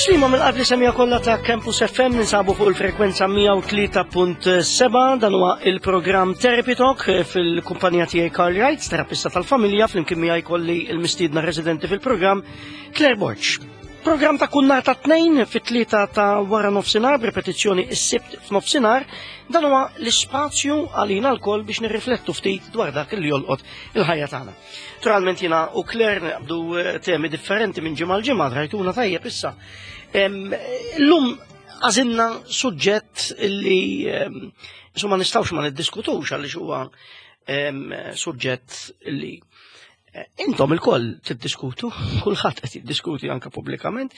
Tislima mill-qalb li semija kollha ta' Campus FM ninsabu fuq il-frekwenza 103.7 dan huwa il-programm Therapy Talk fil-kumpanija tiegħi Carl Wright, terapista tal-familja, flimkien miegħi kolli il-mistiedna residenti fil-programm Claire Borg. Programm ta' kull nhar ta' tnejn fit-tlieta ta' wara nofsinhar b'repetizzjoni s-sibt f'nofsinhar, dan huwa l-ispazju għalina lkoll biex nirriflettu ftit dwar dak li jolqot il-ħajja tagħna. Naturalment jiena u Claire naqbdu eh, temi differenti minn ġimgħa l-ġimgħa rajtuna tajjeb issa. Illum għażilna suġġett li insomma nistgħux ma niddiskutux għaliex huwa suġġett li eh, intom il-koll tiddiskutu, kulħadd qed jiddiskuti anke pubblikament,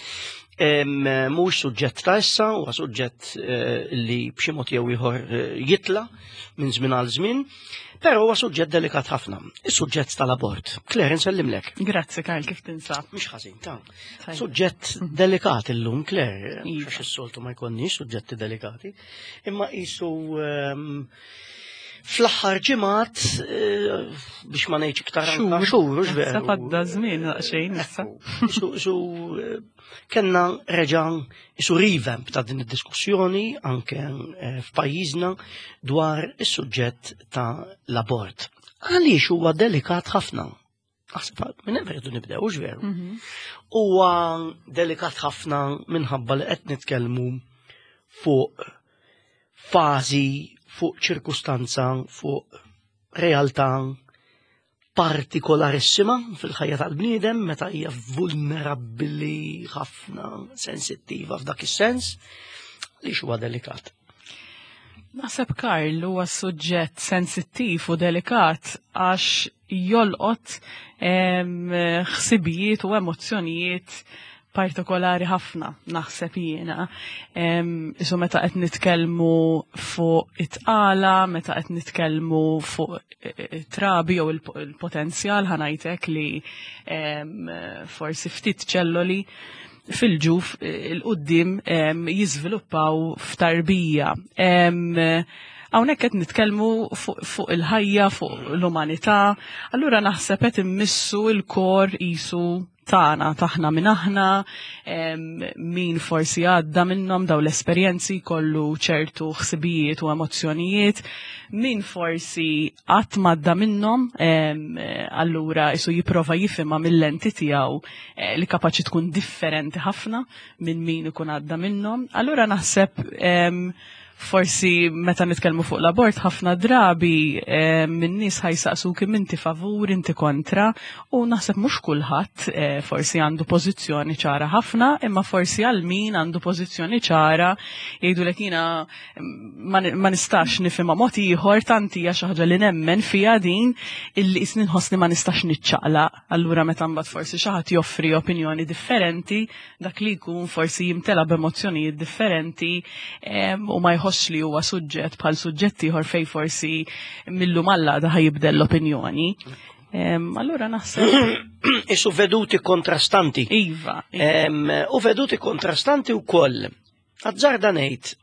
mhuwiex suġġett ta' issa, huwa suġġett eh, li b'xi mod jew ieħor jitla minn żmien għal żmien. Però huwa suġġett delikat ħafna, is-suġġett tal-abort. Claire, nsellimlek. Grazzi, Karl, kif tinsab? Mhux ħażin, ta' Suġġett delikat illum, Claire, iva. għax is-soltu ma jkollniex suġġetti delikati, imma qisu ehm, fl-aħħar ġimgħat eh, biex ma ngħidx iktar anka xhur, hux veru. Għadda żmien daqsxejn issa. Su eh, Kenna reġa' isu revamp ta' din id-diskussjoni anke eh, f'pajjiżna dwar is-suġġett ta' l-abort. Għaliex huwa delikat ħafna? Naħseb minn hemm rridu nibdew, hux veru. Mhm. Huwa delikat ħafna minħabba li qed nitkellmu fuq fażi, fuq ċirkustanza, fuq realtà partikolarissima fil-ħajja tal-bniedem meta hija vulnerabbli ħafna, sensittiva f'dak is-sens, li huwa delikat. Naħseb Karl huwa suġġett sensittiv u delikat għax jolqot ħsibijiet u emozzjonijiet partikolari ħafna naħseb jiena. Isu meta qed nitkellmu fuq it-tqala, meta qed nitkellmu fuq e, e, trabi jew il-potenzjal ħanajtek li forsi ftit ċelloli fil-ġuf e, il-qoddim jiżviluppaw f'tarbija. Hawnhekk qed nitkellmu fuq il-ħajja, fuq l-umanità, allura naħseb qed immissu l-kor isu tagħna, taħna minn aħna, min forsi għadda minnhom daw l-esperjenzi kollu ċertu ħsibijiet u emozzjonijiet, min forsi qatt m'għadda minnhom, allura isu jipprova jifhimha mill-lenti tiegħu eh, li kapaċi tkun differenti ħafna minn min ikun għadda minnhom. Allura naħseb Forsi meta nitkellmu fuq l-abort ħafna drabi eh, minn nies ħajsaqsu kim inti favur, inti kontra, u naħseb mhux kulħadd eh, forsi għandu pożizzjoni ċara ħafna, imma forsi għal min għandu pożizzjoni ċara jgħidulek jiena mm, ma nistax nifhimha mod ieħor tant hija xi ħaġa li nemmen fiha din illi qisni nħossni ma nistax niċċaqlaq. Allura meta mbagħad forsi xi ħadd joffri opinjoni differenti, dak li jkun forsi jimtela b'emozzjonijiet differenti u ma jħossx li huwa suġġett bħal suġġett ieħor fej forsi millu malla da jibdel l-opinjoni. Allura naħseb. Isu veduti kontrastanti. Iva. iva. U veduti kontrastanti wkoll. Azzarda ngħid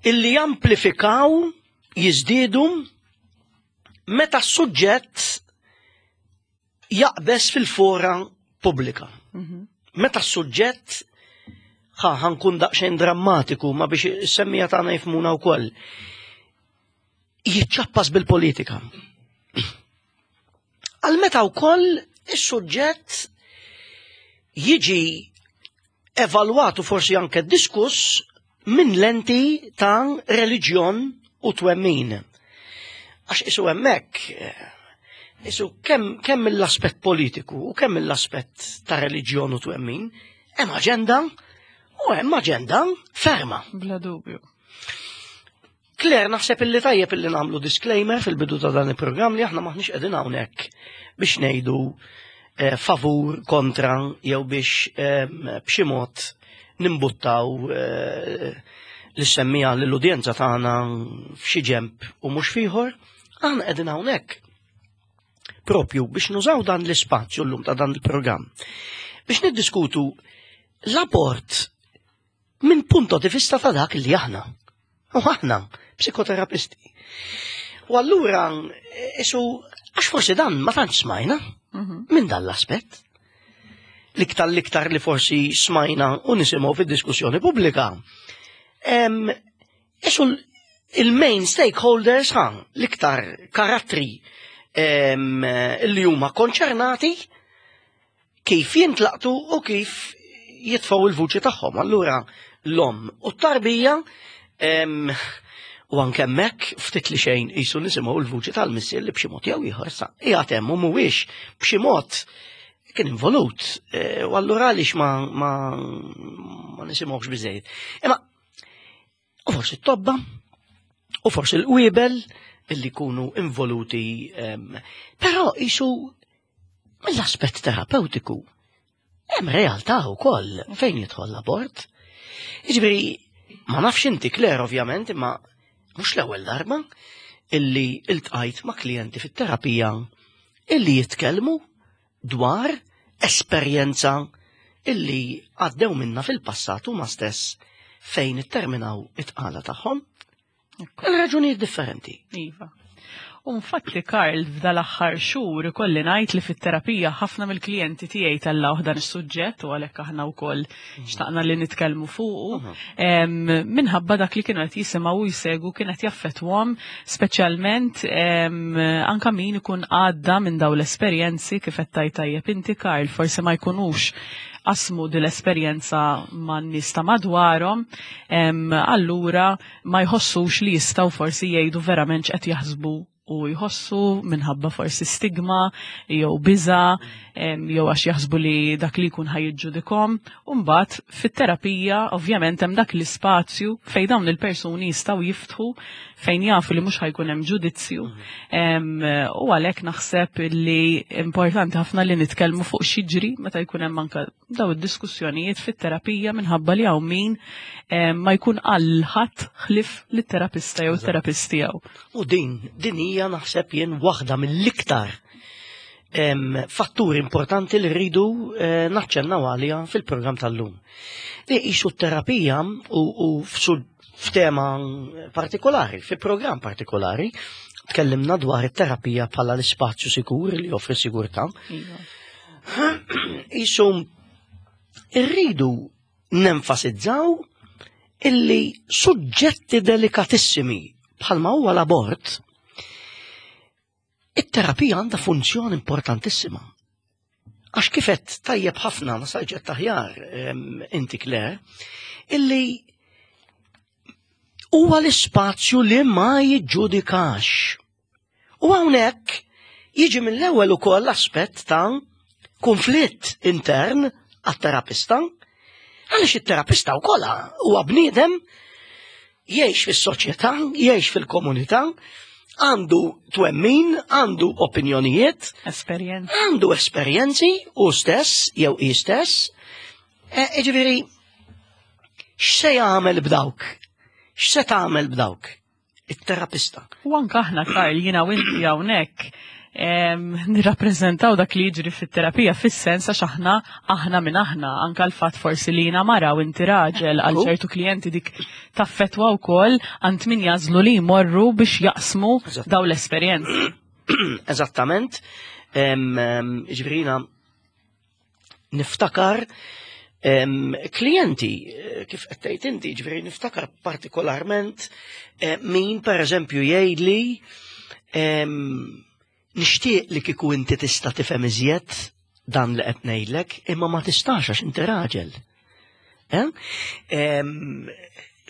illi jamplifikaw jiżdiedu meta s-suġġett jaqbeż fil-fora pubblika. Mhm. Meta s-suġġett ħa ħankun daqsxejn drammatiku ma biex semmija tagħna jifmuna wkoll. Jiċċappas bil-politika. Għal meta wkoll is-suġġett jiġi evalwatu forsi anke diskuss minn lenti ta' reliġjon u twemmin. Għax isu hemmhekk isu kemm kemm mill-aspett politiku u kemm mill-aspett ta' reliġjon u twemmin, hemm aġenda u hemm aġenda ferma. Bla dubju. Claire, naħseb illi tajjeb illi nagħmlu disclaimer fil-bidu ta' dan il-programm li aħna maħniex qegħdin hawnhekk biex ngħidu eh, favur, kontra jew biex eh, b'xi mod nimbuttaw eh, l-semmija l-udjenza tagħna f'xi ġemp u mhux fieħor, aħna qegħdin hawnhekk propju biex nużaw dan l-ispazju llum ta' dan il-programm biex niddiskutu l-abort minn punto di vista ta' dak li aħna. U aħna, psikoterapisti. U allura, isu, għax forsi dan ma tantx smajna mhm. minn dan l-aspett. l-iktar l-iktar li forsi smajna u nisimgħu fid-diskussjoni pubblika. Isu il-main stakeholders ha, l-iktar karattri li huma konċernati kif jintlaqtu u kif jitfgħu il-vuċi tagħhom. Allura l-om u t-tarbija u anke hemmhekk ftit li xejn qisu nisimgħu l-vuċi tal-missier li b'xi mod jew ieħor sa qiegħed hemm u mhuwiex b'xi mod kien involut e, u allura għaliex ma, ma, ma nisimgħux biżejjed. Imma u forsi t-tobba u forsi l-qwiebel illi jkunu involuti però qisu mill-aspett terapeutiku hemm realtà wkoll fejn jidħol l-abort. Jiġifieri ma nafx inti Claire ovvjament imma mhux l-ewwel darba illi iltqajt ma' klijenti fit-terapija illi jitkellmu dwar esperjenza illi għaddew minna fil-passat huma stess fejn itterminaw it-tqala tagħhom. Għal raġunijiet differenti. Iva. U infatti Karl f'dal-aħħar xhur ikolli ngħid li fit-terapija ħafna mill-klijenti tiegħi tellgħu dan is-suġġett u għalhekk aħna wkoll mhm. xtaqna li nitkellmu fuqu. Mhm. Minħabba dak li kienu qed jisimgħu u jsegu kien qed jaffettwhom speċjalment anka min ikun għadda minn dawn l-esperjenzi kif qed tajt tajjeb inti Karl forsi ma jkunux qasmu din l-esperjenza man-nies ta' madwarhom, allura ma jħossux li jistgħu forsi jgħidu verament x'qed jaħsbu u jħossu minħabba forsi stigma jew biża jew għax jaħsbu li dak li jkun ħajġġudikom. U mbagħad fit-terapija ovvjament hemm dak l-ispazju fejn dawn il-persuni jistgħu jiftħu fejn jafu li mhux ħajkun hemm ġudizzju. U għalhekk naħseb li importanti ħafna li nitkellmu fuq xiġri meta jkun hemm anke daw id-diskussjonijiet fit-terapija minħabba li hawn min ma jkun qal ħadd ħlif lit-terapista jew terapist tiegħu. U din din hija naħseb jien waħda mill-iktar fatturi importanti li rridu eh, naċċennaw għalija fil-programm tal-lum. Li qisu t-terapija u f'tema partikolari, fi programm partikolari, tkellimna dwar it-terapija bħala l-ispazju sikur li joffri sigurtà. Iva. Isu irridu nenfasizzaw illi suġġetti delikatissimi bħalma huwa l-abort It-terapija għandha funzjoni importantissima. Għax kifet tajjeb ħafna ma sarġet taħjar inti Claire, illi huwa l-ispazju li ma jiġġudikax. U hawnhekk jiġi mill-ewwel ukoll l-aspett ta' konflitt intern għat-terapista, għaliex it-terapista wkoll huwa bniedem jgħix fis-soċjetà, jgħix fil-komunità, għandu twemmin, għandu opinjonijiet, esperjenzi, għandu esperjenzi u stess jew hi stess. E, ġifieri, x'se jagħmel b'dawk? X'se tagħmel b'dawk? it-terapista. U anka aħna Karl jiena u inti hawnhekk nirrappreżentaw dak li jiġri fit-terapija fis-sens għax aħna aħna minn aħna anka l-fatt forsi li jiena mara u inti raġel għal ċertu klijenti dik taffetwa wkoll għand min jażlu li jmorru biex jaqsmu daw l-esperjenzi. Eżattament. Ġifieri niftakar klijenti, eh, kif qed tgħid inti, ġifieri niftakar partikolarment eh, min pereżempju jgħidli nixtieq li kieku inti tista' tifhem iżjed dan li qed ngħidlek, imma ma tistax għax inti raġel. Eh?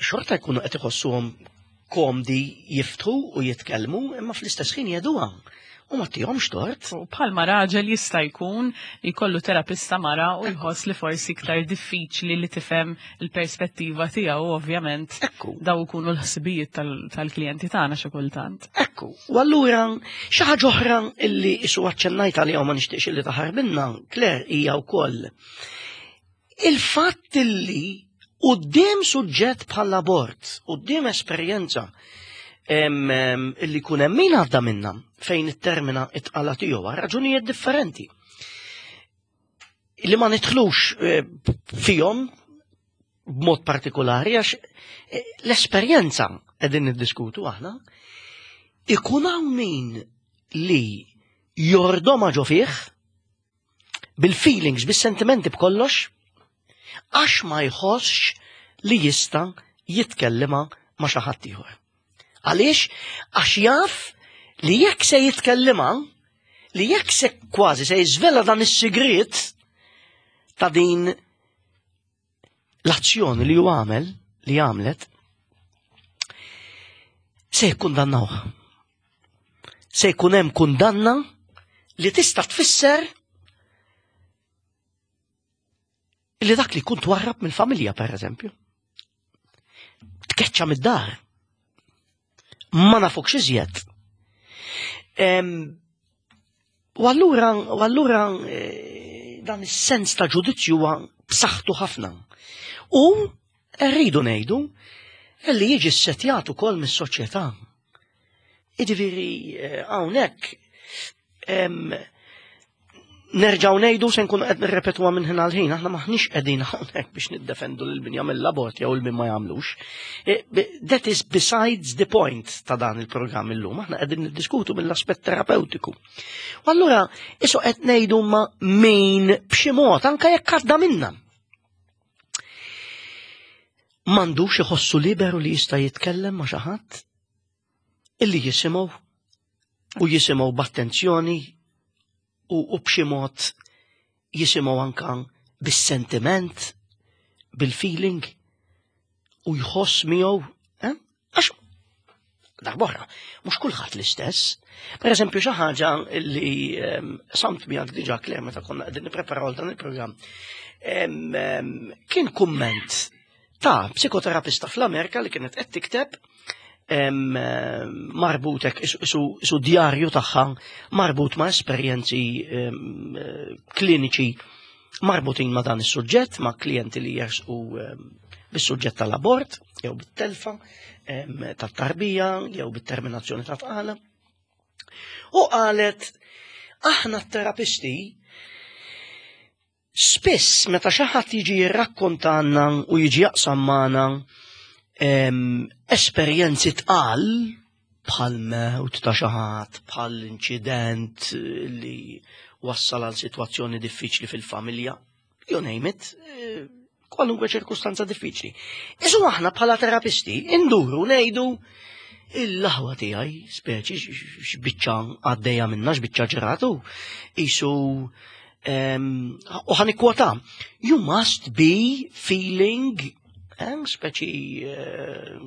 Xorta jkunu qed iħossuhom komdi jiftħu u jitkellmu, imma fl-istess ħin jeduha. U ma tihomx tort. U bħalma raġel jista' jkun jkollu terapista mara u jħoss li forsi iktar diffiċli li tifhem il-perspettiva tiegħu ovvjament. Ekku. Daw ikunu l-ħsibijiet tal-klijenti tagħna xi kultant. Ekku. U allura xi ħaġa oħra illi isu aċċennajt għaliha u ma nixtieqx illi taħarbinna, Claire, hija wkoll Il-fatt li quddiem suġġett bħall-abort, quddiem esperjenza illi jkun hemm min għadda minna fejn it-termina it-tqala tiegħu għal raġunijiet differenti. Li ma nidħlux eh, fihom b'mod partikolari għax eh, l-esperjenza qegħdin niddiskutu aħna ikun hawn min li jordoma ġo fih. bil-feelings, bis-sentimenti b'kollox, għax ma jħossx li jista' jitkellima ma' xi ħadd ieħor. Għaliex? Għax jaf li jekk se jitkellima, li jekk se kważi se jiżvela dan is-sigriet ta' din l-azzjoni li ju għamel, li għamlet, se jikkundannawh. Se jkun hemm kundanna li tista' tfisser li dak li jkun twarrab mill-familja, per eżempju. Tkeċċa mid-dar. Ma nafukx iżjed. U allura, u allura eh, dan is-sens ta' ġudizzju huwa b'saħħtu ħafna. U rridu ngħidu li jiġi ssetjat ukoll mis-soċjetà. Jiġifieri eh, hawnhekk nerġaw ngħidu se nkunu qed nirrepetuha minn ħin għal ħin, aħna maħniex qegħdin hawnhekk biex niddefendu lil min jagħmel l-abort jew il min ma jagħmlux. E, that is besides the point ta' dan il-programm illum, aħna qegħdin niddiskutu mill-aspett terapeutiku. U allura isu qed ngħidu ma min b'xi mod anke jekk għadda minna. M'għandux iħossu liberu li jista' jitkellem ma' xi ħadd illi jisimgħu u jisimgħu b'attenzjoni u, u b'xi mod jisimgħu anka bis-sentiment, bil-feeling u jħoss miegħu, eh? għax darbohra, mhux kulħadd l-istess. Per eżempju, xi ħaġa li ehm, samt miegħek diġà Claire meta konna qegħdin nippreparaw dan il-programm, ehm, ehm, kien kumment ta' psikoterapista fl-Amerika li kienet qed tikteb marbutek isu djarju tagħha marbut ma' esperjenzi kliniċi marbutin ma' dan is-suġġett, ma' klijenti li jersqu bis-suġġett tal-abort, jew bit-telfa tat-tarbija, jew bit-terminazzjoni ta' tqala. U qalet, aħna t-terapisti Spiss meta xi ħadd jiġi jirrakkontanna u jiġi jaqsam magħna esperjenzi tqal bħal mewt ta' xi ħadd, bħal inċident li wassal għal sitwazzjoni diffiċli fil-familja, you name it, eh, kwalunkwe ċirkustanza diffiċli. Isu aħna bħala terapisti induru ngħidu il-laħwa tiegħi, speċi x'biċċa għaddejja minna, x'biċċa ġratu, isu U ħan ikkwota, you must be feeling, speċi, eh,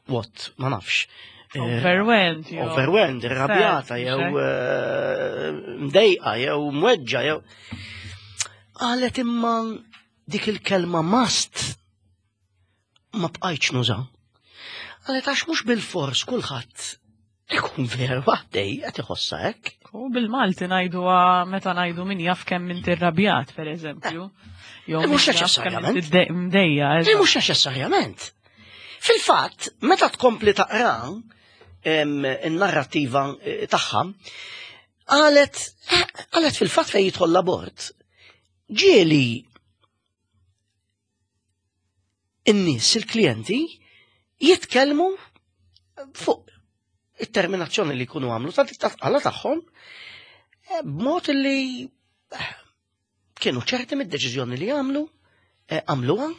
what, ma nafx. Eh, overwhelmed. Overwhelmed, irrabjata, jew eh, mdejqa, jew mweġġa, jew. Qalet imma dik il-kelma must ma bqajtx nuża. Qalet għax mhux bil-fors kulħadd ikun veru għaddej qed iħossha hekk. U bil-Malti ngħidu meta ngħidu min jaf kemm inti rrabjat pereżempju. Eh. Eh, mhux neċessarjament. Mdejja. Eh, mhux neċessarjament. Fil-fatt, meta tkompli taqra in-narrattiva tagħha, qalet qalet fil-fatt fejn jidħol l-abort. Ġieli in-nies, il-klijenti, jitkellmu fuq it-terminazzjoni li jkunu għamlu ta' tqala tagħhom eh, b'mod li eh, kienu ċerti mid-deċiżjoni li għamlu, eh, għamluha,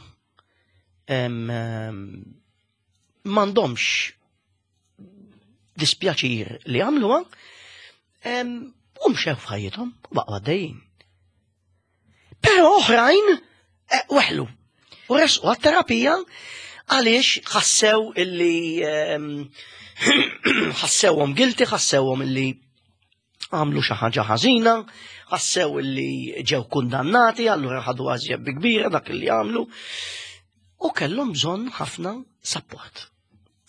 m'għandhomx dispjaċir li għamluha, u mxew f'ħajjithom u baqgħu għaddejjin. Però oħrajn eh, weħlu u resqu għat-terapija għaliex ħassew illi ehm, ħassewhom guilty, ħassewhom illi għamlu xi ħaġa ħażina, ħassew illi ġew kundannati, allura ħadu għażjeb bi kbira dak illi għamlu u kellhom bżonn ħafna support.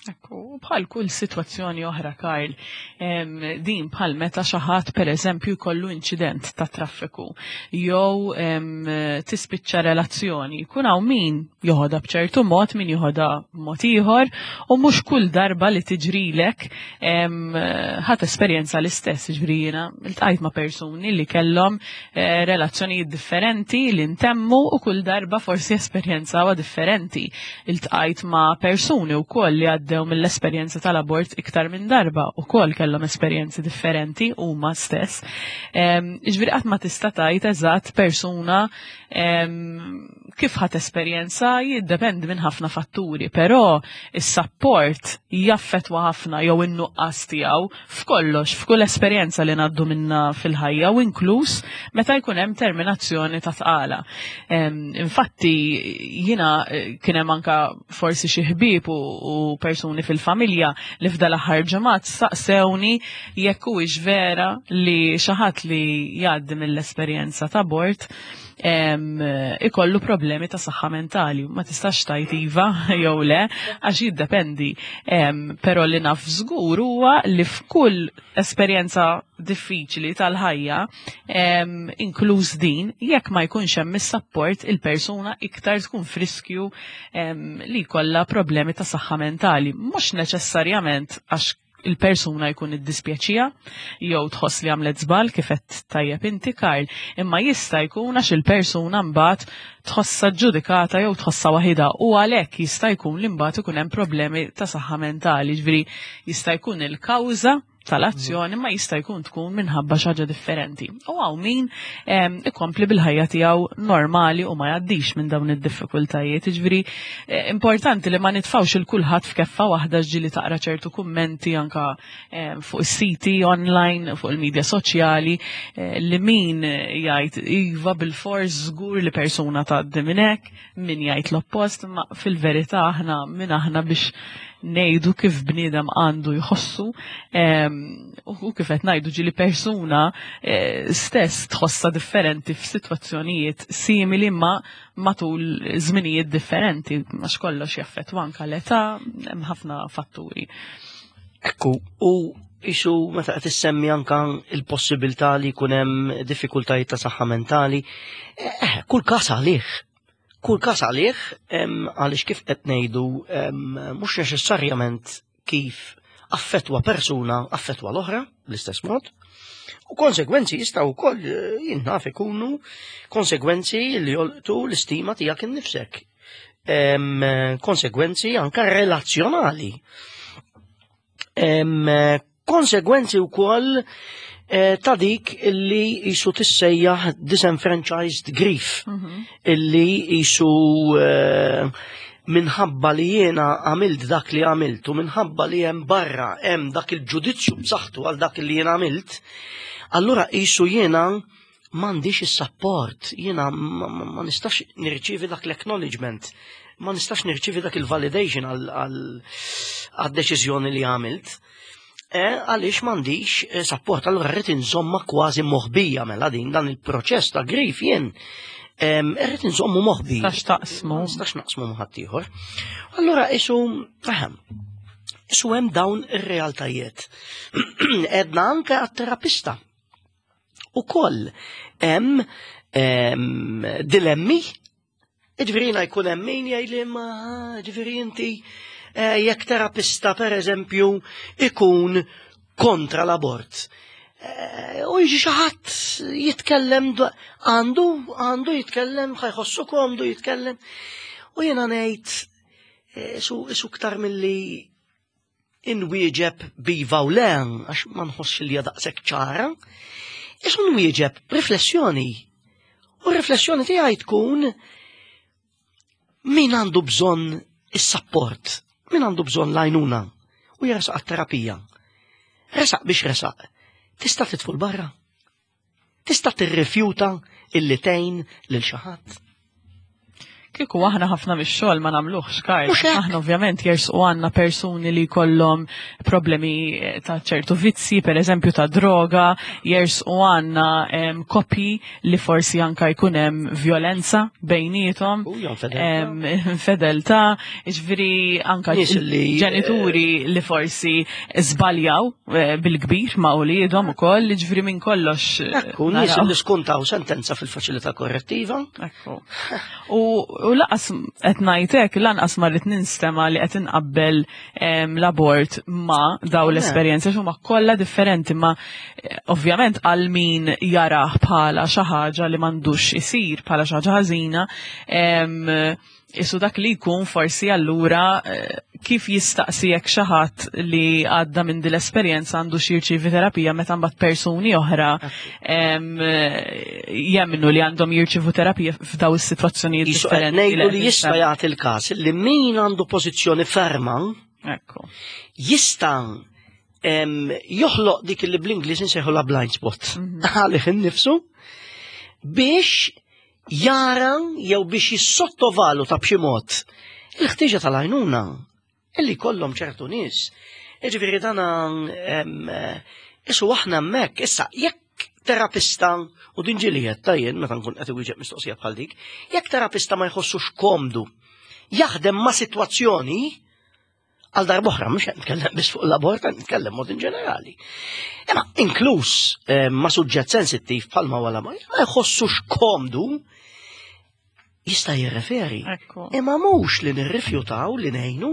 Ekku, bħal kull sitwazzjoni oħra, Karl, din bħal meta xi ħadd pereżempju jkollu inċident ta' traffiku jew tispiċċa relazzjoni, jkun hawn min joħodha b'ċertu mod, min joħodha b'mod ieħor, u mhux kull darba li tiġrilek ħadd esperjenza l-istess, ġifieri jiena ltqajt ma' persuni li kellhom eh, relazzjonijiet differenti li ntemmu u kull darba forsi esperjenzawha differenti. Iltqajt ma' persuni wkoll li għaddew mill mill-esperjenza tal-abort iktar minn darba u kol kellhom esperjenzi differenti huma stess. Ġifieri qatt ma tista' tgħid eżatt persuna kif ħat esperjenza jiddependi minn ħafna fatturi, però is-sapport jaffetwa ħafna jew in-nuqqas tiegħu f'kollox, f'kull esperjenza li ngħaddu minna fil-ħajja u inkluż meta jkun hemm terminazzjoni ta' tqala. Infatti jiena eh, kien hemm anka forsi xi ħbieb u persuni fil-familja li f'dal aħħar ġimgħat saqsewni jekk huwiex vera li xi ħadd li jgħaddi mill-esperjenza ta' abort ikollu problemi ta' saħħa mentali. Ma tistax tajt iva jew le, għax jiddependi. Però li naf żgur huwa li f'kull esperjenza diffiċli tal-ħajja, inkluż din, jekk ma jkunx hemm is-sapport il-persuna iktar tkun friskju li jkollha problemi ta' saħħa mentali. Mhux neċessarjament għax il-persuna jkun iddispjaċija jew tħoss li għamlet żball kif qed tajjeb inti Karl, imma jista' jkun għax il-persuna mbagħad tħossha ġudikata jew tħossha waħidha u għalhekk jista' jkun li mbagħad ikun hemm problemi ta' saħħa mentali, ġifieri jista' jkun il-kawża tal-azzjoni ma jista' jkun tkun minħabba xi ħaġa differenti. U hawn min ikompli bil-ħajja tiegħu normali u ma jgħaddix minn dawn id-diffikultajiet. Jiġifieri eh, importanti li ma nitfawx il kulħadd f'keffa waħda ġili taqra ċertu kummenti anka fuq is-siti online, fuq il-medja soċjali, eh, li min jgħid iva bil-fors żgur li persuna tgħaddi minn hekk, min jgħid l-oppost, ma fil-verità aħna min aħna biex ngħidu kif bniedem għandu jħossu u kif qed ngħidu ġili persuna eh, stess tħossa differenti f'sitwazzjonijiet simili ma matul żminijiet differenti għax kollox jaffettwa anke l-età hemm ħafna fatturi. Ekku, u isu meta qed issemmi anka il-possibilità li jkun hemm diffikultajiet ta' saħħa mentali, eh, kull każ għalih. Kull każ għalih għaliex kif qed ngħidu mhux neċessarjament kif affettwa persuna affettwa l-oħra bl-istess mod. U konsegwenzi jistgħu wkoll eh, jinnaf ikunu konsegwenzi li jolqtu l-istima tiegħek innifsek. Konsegwenzi anka relazzjonali. Konsegwenzi wkoll eh, ta' dik illi jisu tissejjaħ disenfranchised grief, mhm. illi jisu eh, minħabba li jiena għamilt dak li għamilt u minħabba li hemm barra hemm dak il-ġudizzju b'saħħtu għal dak li jiena għamilt, allura jisu jiena m'għandix is-sapport, jiena ma nistax nirċievi dak l-acknowledgement, ma nistax nirċievi dak il-validation għal-deċiżjoni li għamilt. E, għaliex m'għandix eh, sapport, allura rrid inżomma kważi moħbija mela din dan il-proċess ta' grif jien irrid inżommu moħbi. Nistax taqsmu. Nistax naqsmu ma' ħaddieħor. Allura isu, ahem, isu hemm dawn ir-realtajiet. Edna anke għat-terapista. Ukoll hemm dilemmi, ġifieri jiena jkun hemm min jgħidli ma ġifieri inti eh, jekk terapista pereżempju ikun kontra l-abort. Eh, u jiġi xi ħadd jitkellem għandu għandu jitkellem ħajħossu komdu jitkellem. U jiena ngħid eh, isu ktar milli inwieġeb b'iva u le, għax ma nħossx li hija daqshekk ċara, isu nwieġeb riflessjoni. U r-riflessjoni tiegħi tkun min għandu bżonn is-sapport, min għandu bżonn l-għajnuna u jersaq għat-terapija. Resaq biex resaq, tista' titful barra. Tista' tirrifjuta illi tgħin lil xi ħadd? Kieku aħna ħafna mix-xogħol ma nagħmluhx, Karl. Aħna ovvjament jersqu għandna persuni li jkollhom problemi eh, ta' ċertu vizzi, per eżempju ta' droga, jersqu għandna koppji li forsi anka jkun hemm violenza bejniethom, infedeltà, jiġifieri anka ġenituri eh, li forsi żbaljaw Eh, bil-kbir ma' uliedhom ukoll, jiġifieri minn kollox. Eh, Ekku, nies li skuntaw sentenza fil-faċilità korrettiva. Ekku. U laqas qed ngħidlek lanqas ma rrid ninstema' li qed inqabbel l-abort ma' daw l-esperjenzi huma kollha differenti ma eh, ovvjament għal min jarah bħala xi ħaġa li m'għandux isir bħala xi ħaġa ħażina. Isu dak li jkun forsi allura eh, kif jistaqsi jekk xi ħadd li għadda minn din l-esperjenza għandu xi jirċievi terapija meta mbagħad persuni oħra eh, jemmnu li għandhom jirċievu terapija f'daw is-sitwazzjonijiet differenti. Ngħidu li jista' jagħti l-każ li min għandu pożizzjoni ferma Ekku. Jista' joħloq dik li bl-Ingliż insejħu la blind spot. Mhm. Għalih innifsu biex jara jew biex jissottovaluta b'xi mod il-ħtieġa tal-għajnuna illi kollhom ċertu nies. Jiġifieri dan isu aħna hemmhekk issa jekk terapista u din ġieli ta' jien meta nkun qed iwieġeb mistoqsija bħal dik, jekk terapista ma jħossux komdu jaħdem ma' sitwazzjoni Għal darb'oħra, mhux qed nitkellem biss fuq l-abort, qed nitkellem mod in ġenerali. Imma inkluż eh, ma' suġġett sensittiv bħalma wara ma jħossux komdu jista' jirreferi. Imma mhux li nirrifjutaw li ngħinu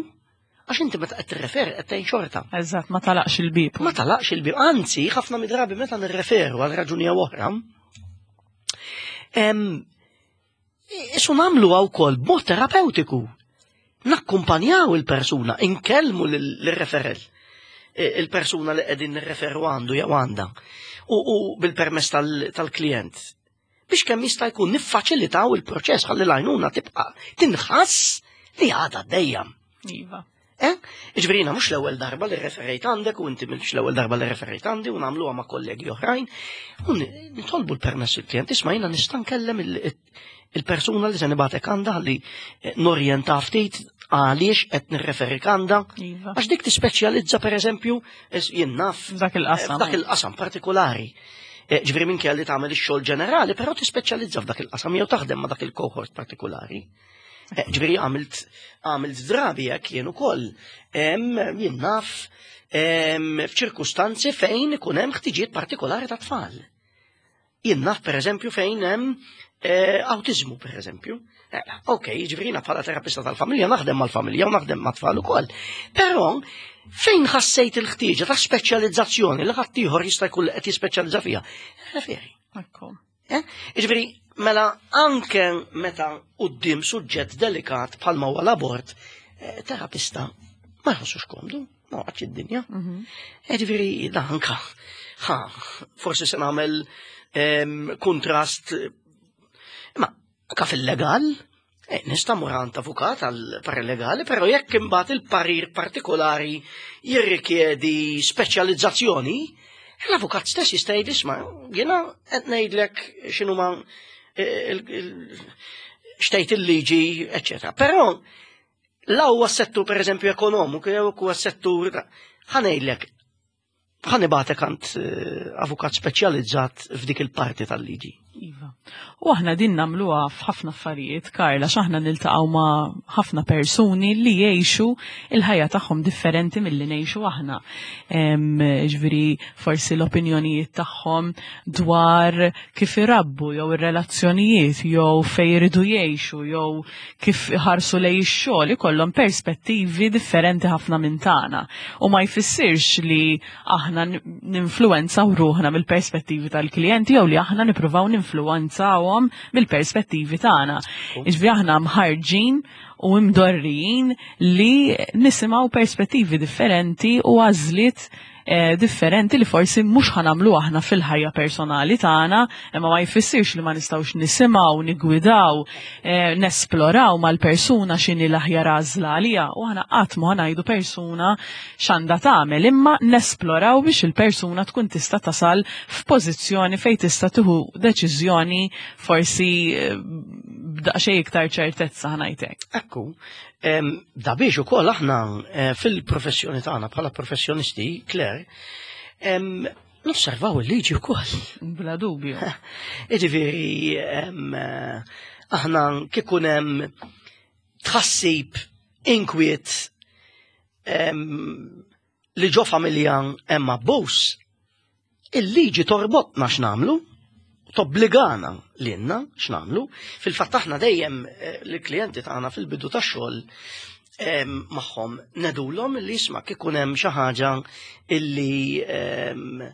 għax inti meta qed tirreferi qed tgħin xorta. Eżatt, ma talaqx il-bib. Ma talaqx il-bib, anzi, ħafna midrabi meta nirreferu għal raġuni jew oħra. Isu nagħmluha wkoll b'mod terapeutiku. Nakkumpanjaw il-persuna, inkellmu l-referel, e, il-persuna li qegħdin nirreferu għandu jew għandha u bil-permess tal-klient. Biex kemm jista' jkun niffaċilitaw il-proċess ħalli l-għajnuna tibqa' tinħass li għadha dejjem. Iva. Eh? Ġifieri jiena mhux l-ewwel darba li referejt għandek u inti mhux l-ewwel darba li referejt għandi u nagħmluha ma' kollegi oħrajn. U nitolbu l-permess il-klient, isma' jiena nista' nkellem il-persuna li se nibatek għandha li eh, norjenta ftit għaliex qed nirreferik għandha. Iva. Għax dik tispeċjalizza pereżempju jien naf F'dak il-qasam. Eh, f'dak il-qasam partikolari. Eh, ġifieri minn li tagħmel ix-xogħol ġenerali, però tispeċjalizza f'dak il-qasam jew taħdem ma' dak il-cohort partikolari. Eh, ġifieri għamilt għamilt drabi hekk jien ukoll. Jien naf f'ċirkustanzi fejn ikun hemm ħtiġijiet partikolari ta' tfal. Jien naf pereżempju fejn hemm eh, autizmu pereżempju. Eh, ok, ġifieri jiena bħala terapista tal-familja naħdem mal-familja u naħdem mat-tfal ukoll. Però fejn ħassejt il-ħtieġa ta' speċjalizzazzjoni li ħaddieħor jista' jkun qed jispeċjalizza fiha. Referi. Ekku. Eh? Jiġifieri, mela anke meta quddiem suġġett delikat bħalma huwa l-abort, eh, terapista ma jħossux komdu, ma waqgħatx id-dinja. Mhm. Eh, jiġifieri da anka, ha, forsi se nagħmel ehm, kontrast, imma anka fil-legal, Eh, nista' mur għand avukat għal parir legali, però jekk imbagħad il-parir partikolari jirrikjedi speċjalizzazzjoni, l-avukat stess jista' jgħid isma' jiena qed ngħidlek x'inhuma eh, xtejt il-liġi, eċċetera. Però la huwa settur pereżempju ekonomiku jew huwa settur ħa ngħidlek Ħa nibagħtek għand eh, avukat speċjalizzat f'dik il-parti tal-liġi. Iva. U aħna din nagħmluha f'ħafna affarijiet, Karla, x'aħna niltaqgħu ma' ħafna persuni li jgħixu il-ħajja tagħhom differenti milli ngħixu aħna. Ġifieri forsi l-opinjonijiet tagħhom dwar kif irabbu jew ir-relazzjonijiet jew fejn iridu jgħixu jew kif iħarsu lej ix-xogħol ikollhom perspettivi differenti ħafna minn tagħna. U ma jfissirx li aħna ninfluwenzaw ruħna mill-perspettivi tal-klijenti jew li aħna nippruvaw ninfluwenzawhom mill-perspettivi tagħna. Iġbi aħna mħarġin u imdorrijin li nisimgħu perspettivi differenti u għażliet Eh, differenti li forsi mhux ħanamlu aħna fil-ħajja personali tagħna, imma ma jfissirx li ma nistgħux nisimgħu, nigwidaw, eh, nesploraw mal-persuna x'inhi l-aħjar għażla għalija u aħna qatt ma ngħidu persuna x'għandha tagħmel, imma nesploraw biex il-persuna tkun tista' tasal f'pożizzjoni fejn tista' tieħu deċiżjoni forsi eh, b'daqsxejn iktar ċertezza ħanajtek. Ekku, Da biex ukoll aħna eh, fil-professjoni tagħna bħala professjonisti, Claire, nosservaw il-liġi wkoll. Bla dubju. Jiġifieri eh, aħna kikun hemm tħassib inkwiet li ġo familja hemm abbuż, il-liġi torbotna x'nagħmlu, tobbligana lilna x'nagħmlu. Fil-fatt aħna dejjem eh, l-klijenti tagħna fil-bidu tax-xogħol ehm, magħhom nedulhom li jisma' kikun hemm xi ħaġa illi ehm,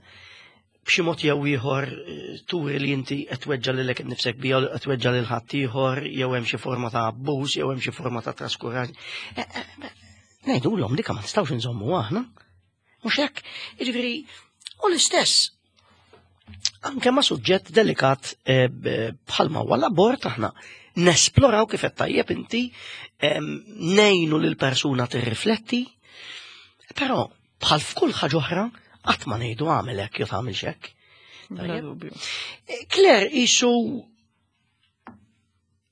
b'xi mod jew ieħor eh, turi li inti qed tweġġa' lilek innifsek bija u qed tweġġa' lil ħaddieħor jew hemm xi forma ta' abbuż jew hemm xi forma ta' traskuraġ. Eh, eh, ngħidulhom dik ma nistgħux inżommu aħna. Mhux hekk, jiġifieri u l-istess anke ma' suġġett delikat bħalma huwa l-abort aħna nesploraw kif qed tajjeb inti ngħinu lil persuna tirrifletti, però Bħal f'kull ħaġa oħra, qatt ma ngħidu għamel hekk jew tagħmilx hekk. Eh, Claire isu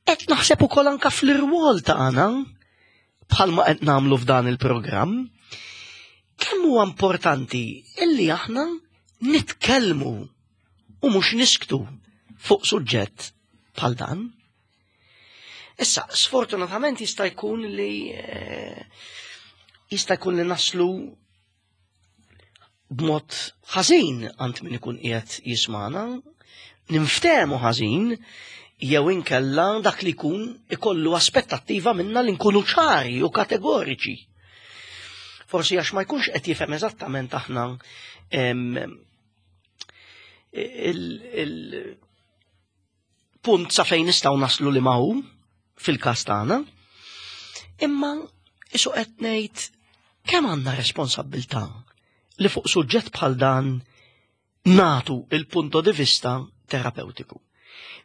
qed naħseb ukoll anka fl-irwol tagħna bħalma qed nagħmlu f'dan il-programm, kemm huwa importanti illi aħna nitkellmu u mhux nisktu fuq suġġett bħal dan. Issa, sfortunatament jista' jkun li eh, jista' jkun li naslu b'mod ħażin għand min ikun qiegħed jismana, ninftehmu ħażin jew inkella dak li jkun ikollu aspettattiva minna li nkunu ċari u kategoriċi. Forsi għax ma jkunx qed jifhem eżattament aħna il punt sa fejn nistgħu naslu li ma hu fil-każ tagħna. Imma isu qed ngħid kemm għandna responsabbiltà li fuq suġġett bħal dan natu il-punto di vista terapeutiku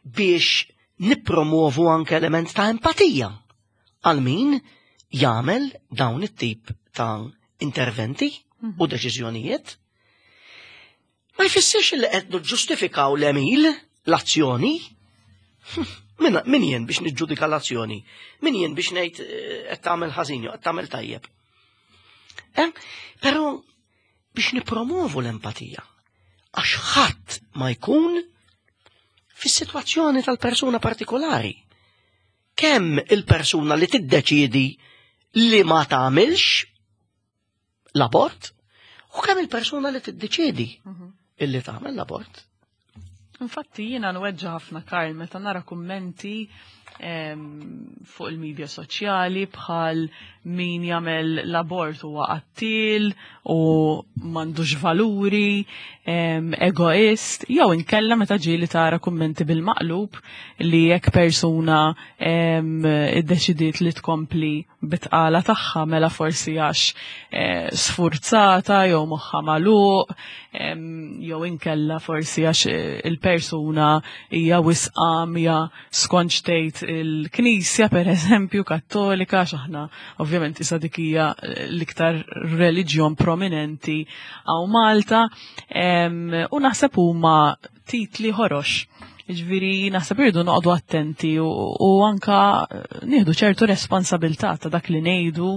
biex nippromovu anke element ta' empatija għal min jagħmel dawn it-tip ta' interventi u mhm. deċiżjonijiet Ma jfissirx li qed niġġustifikaw l-għemil, l-azzjoni. Min, min jien biex niġġudika l-azzjoni? Min jien biex ngħid eh, qed tagħmel ħażin jew qed tagħmel tajjeb? Eh? Però biex nipromovu l-empatija. Għax ħadd ma jkun fis-sitwazzjoni tal-persuna partikolari. Kemm il-persuna li tiddeċiedi li ma tagħmilx l-abort u kemm il-persuna li tiddeċiedi mhm. illi tagħmel l-abort. Infatti jiena nweġġa ħafna Karl meta nara kummenti fuq il-medja soċjali bħal min jagħmel l-abort huwa qattil u m'għandux valuri, egoist, jew inkella meta ġieli tara kummenti bil-maqlub li jekk persuna iddeċidiet li tkompli bitqala tagħha mela forsi għax eh, sfurzata jew moħħa magħluq jew inkella forsi għax eh, il-persuna hija wisqamja skont xtejt il-Knisja pereżempju Kattolika għax aħna ovvjament isa dik hija eh, l-iktar reliġjon prominenti hawn Malta u naħseb huma titli ħorox. Ġviri, naħseb irridu noqogħdu attenti u, u anka eh, nieħdu ċertu responsabilità ta' dak li ngħidu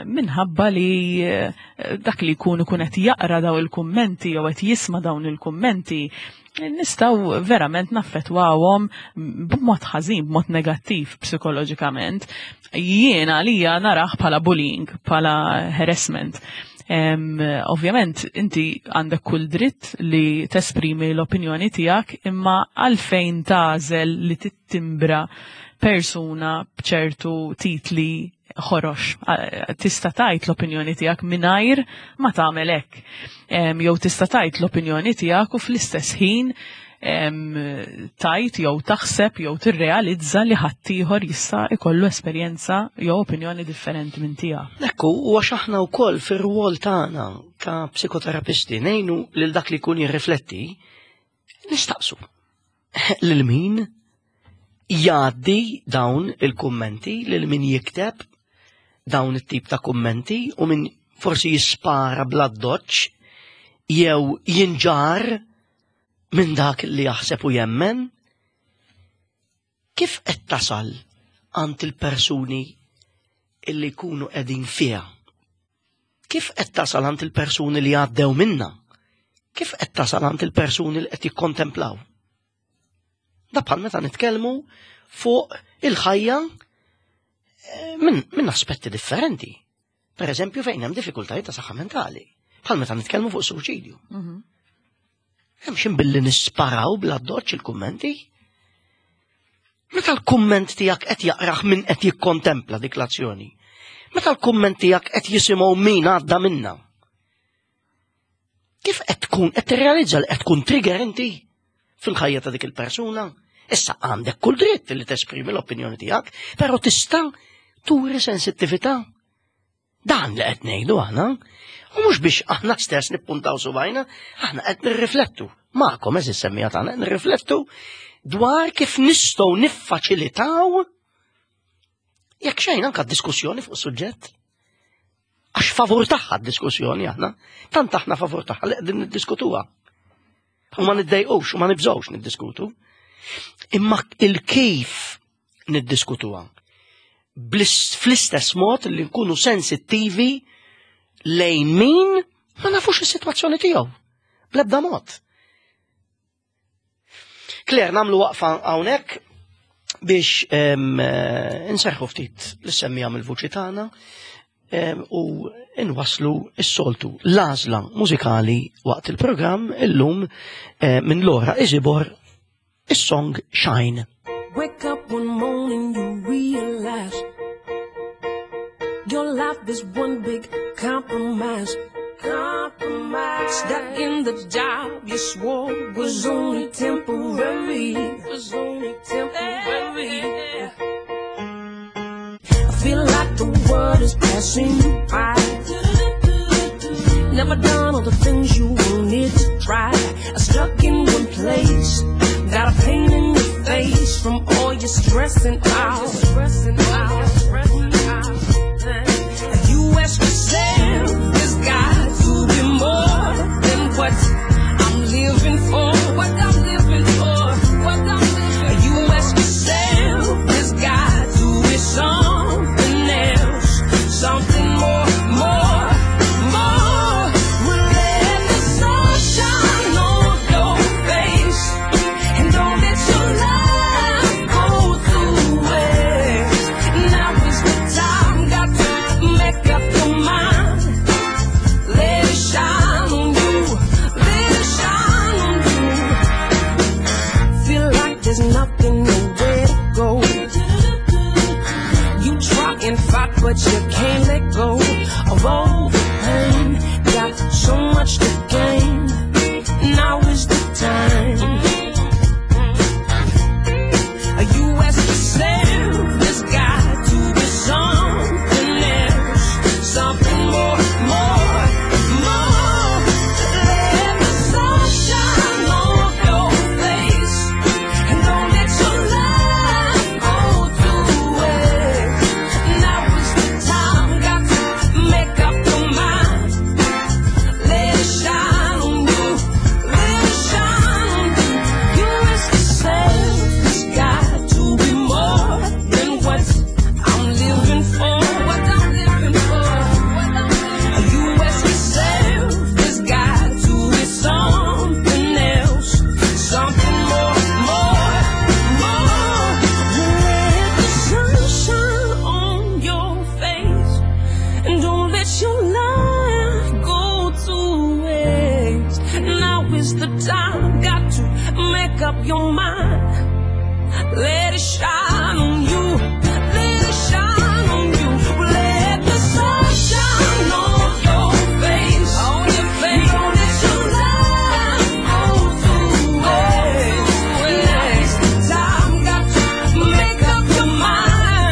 minħabba li eh, dak li jkun ikun qed jaqra daw il-kummenti jew qed jisma' dawn il-kummenti nistgħu verament naffettwawhom b'mod ħażin, b'mod negattiv psikoloġikament. Jiena għalija narah bħala bullying, bħala harassment. Ovvjament, inti għandek kull dritt li tesprimi l-opinjoni tiegħek, imma għalfejn tagħżel li tittimbra persuna b'ċertu titli ħorox. Tista' tgħid l-opinjoni tiegħek mingħajr ma tagħmel hekk. Jew tista' tgħid l-opinjoni tiegħek u fl-istess ħin tajt jew taħseb jew tirrealizza li ħaddieħor jista' ikollu esperjenza jew opinjoni differenti minn tiegħek. Ekku, u għax aħna wkoll fir-rwol tagħna ta' psikoterapisti ngħinu lil dak li jkun jirrifletti, nistaqsu lil min jgħaddi dawn il-kummenti, lil min jikteb dawn it-tip ta' kummenti u min forsi jispara bla doċ jew jinġar minn dak li jaħseb u jemmen, kif qed tasal għand il-persuni illi jkunu qegħdin fiha? Kif qed tasal għand il-persuni li għaddew minna? Kif qed tasal għand il-persuni li qed jikkontemplaw? Da bħal meta nitkellmu fuq il-ħajja eh, minn min aspetti differenti. Per eżempju fejn hemm diffikultajiet ta' saħħa mentali, bħal meta nitkellmu fuq suċidju. Mhm. Hemm xi billi nisparaw bla doċ il-kummenti. Meta l-kumment tiegħek qed jaqrah min qed jikkontempla dik l-azzjoni. Meta l-kumment tiegħek qed jisimgħu min għadda minna. Kif qed tkun qed tirrealizza li qed tkun trigger inti fil-ħajja ta' dik il-persuna? Issa għandek kull dritt li tesprimi l-opinjoni tiegħek, però tista' turi sensittività. Dan li qed ngħidu aħna, u mhux biex aħna stess nippuntaw subajna, aħna qed nirriflettu. Magħkom eżis semmija tagħna qed nirriflettu dwar kif nistgħu niffaċilitaw jekk xejn anke diskussjoni fuq suġġett. Għax favur tagħha d-diskussjoni aħna, tant aħna favur tagħha li qegħdin niddiskutuha. U ma niddejqux u ma nibżgħux niddiskutu. Imma il-kif niddiskutuha. Fl-istess mod li nkunu sensittivi lejn min ma nafux is-sitwazzjoni tiegħu. Bl-ebda mod. Claire, namlu waqfa hawnhekk biex eh, nserħu ftit l-semmija mill-vuċi tagħna u nwaslu s-soltu l-għażla mużikali waqt il-programm illum eh, minn Laura Izibor is-song Shine. Wake up one morning you realize Your life is one big compromise Compromise Stuck in the job you swore was only temporary Was only temporary I feel like the world is passing you by Never done all the things you wanted to try Stuck in one place Got a pain in your face from all your stressing out You ask yourself, there's got to be more than what I'm living for What I'm living for, what I'm living You ask yourself, there's got to be something else Something more, more, more Well, let the sun shine on your face And don't let your life go to waste Now is the time, got to make up your mind Let it shine on you, let it shine on you Feel like there's nothing nowhere to go You try and fight, but you can't let go of all the pain. Got so much to gain. Now is the time. You ask yourself, there's got to be something else, something more, more, more. Let the sun shine on your face, and don't let your life go to waste. Now is the time, got to make up your mind. Let it shine on you, let it shine on you. You ask yourself, there's got to be more than what I'm living for. What I'm living for. What I'm living for. You ask yourself, there's got to be something else, something more, more, more. Let the sun shine on your face, and don't let your life go to waste. Now is the time, got to make up your mind. Let it shine on you. Let it shine on you. Let the sun shine on your face. On your face. Don't let your life go to waste. Now is the time, got to make up your mind.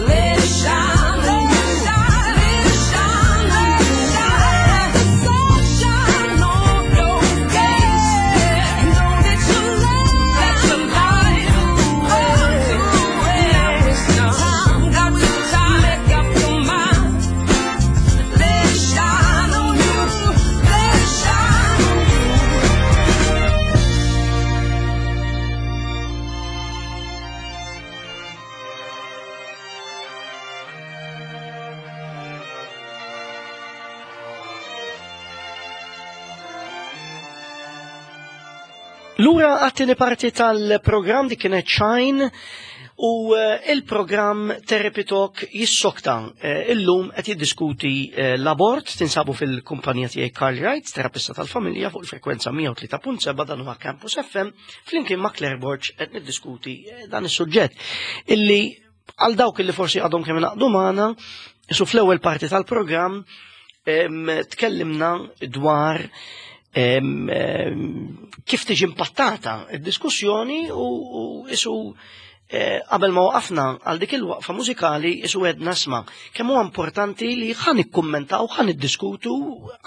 Let it shine on you. Let it shine on you. Let the sun shine on your face. And don't let your life go to waste. Now is the time, got to make up your mind. Let it shine on you. Let it shine on you. Lura għat-tieni parti tal-programm dik kienet Shine u eh, il-programm Therapy Talk jissokta eh, illum qed jiddiskuti eh, l-abort tinsabu fil-kumpanija tiegħi Carl Wright, terapista tal-familja fuq il-frekwenza 103.7 dan huwa Campus FM flimkien ma' Claire Borg qed niddiskuti dan is-suġġett illi għal dawk illi forsi għadhom kemm ingħaqdu magħna, su fl-ewwel parti tal-programm Tkellimna dwar kif tiġi impattata id-diskussjoni u isu eh, qabel ma waqafna għal dik il-waqfa mużikali isu għedna sma kemm huwa importanti li ħan ikkummentaw, ħan iddiskutu,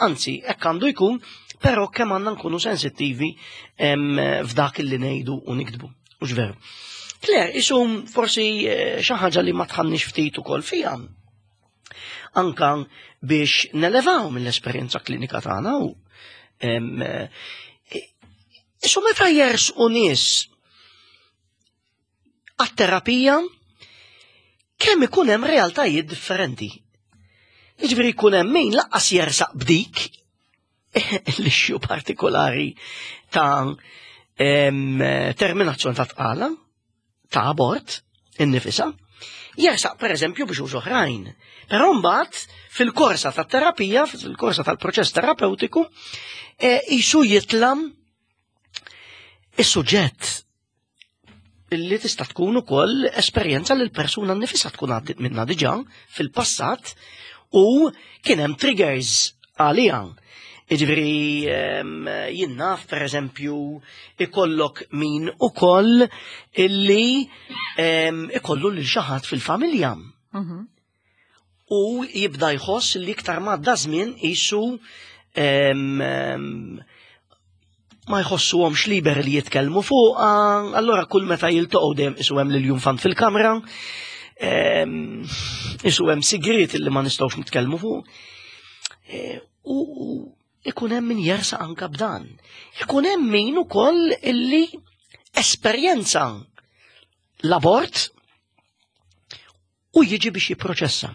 anzi hekk għandu jkun, però kemm għandna nkunu sensittivi f'dak li ngħidu u niktbu. Mhux veru. Claire, isu forsi eh, xi ħaġa li ma tħannix ftit ukoll fiha anka biex nelevaw mill-esperjenza klinika tagħna u eh, isu meta jersqu nies għat-terapija kemm ikun hemm realtajiet differenti. Jiġifieri jkun hemm min laqqas jersaq b'dik l-issue partikolari ta' terminazzjoni ta' tqala, ta' abort, innifisa, jersaq per eżempju biex uż oħrajn. Però mbagħad fil-korsa tat-terapija, fil-korsa tal-proċess terapeutiku, jisu e, jitlam is-suġġett illi tista' tkun ukoll esperjenza li l-persuna nnifisha tkun għaddit minna diġà fil-passat u kien hemm triggers għaliha. Jiġifieri ehm, jien naf pereżempju ikollok min ukoll illi ehm, ikollu lil xi ħadd fil-familja. U jibda jħoss li iktar ma għadda żmien qisu ehm, ma jħossuhomx liberi li jitkellmu fuqha, allura kull meta jiltaqgħu dejjem isu hemm lil junfant fil-kamra, isu hemm sigriet li ma nistgħux nitkellmu fuq. E, u ikun hemm min jersa anka b'dan. Ikun hemm min ukoll illi esperjenza l-abort u jiġi biex jipproċessa.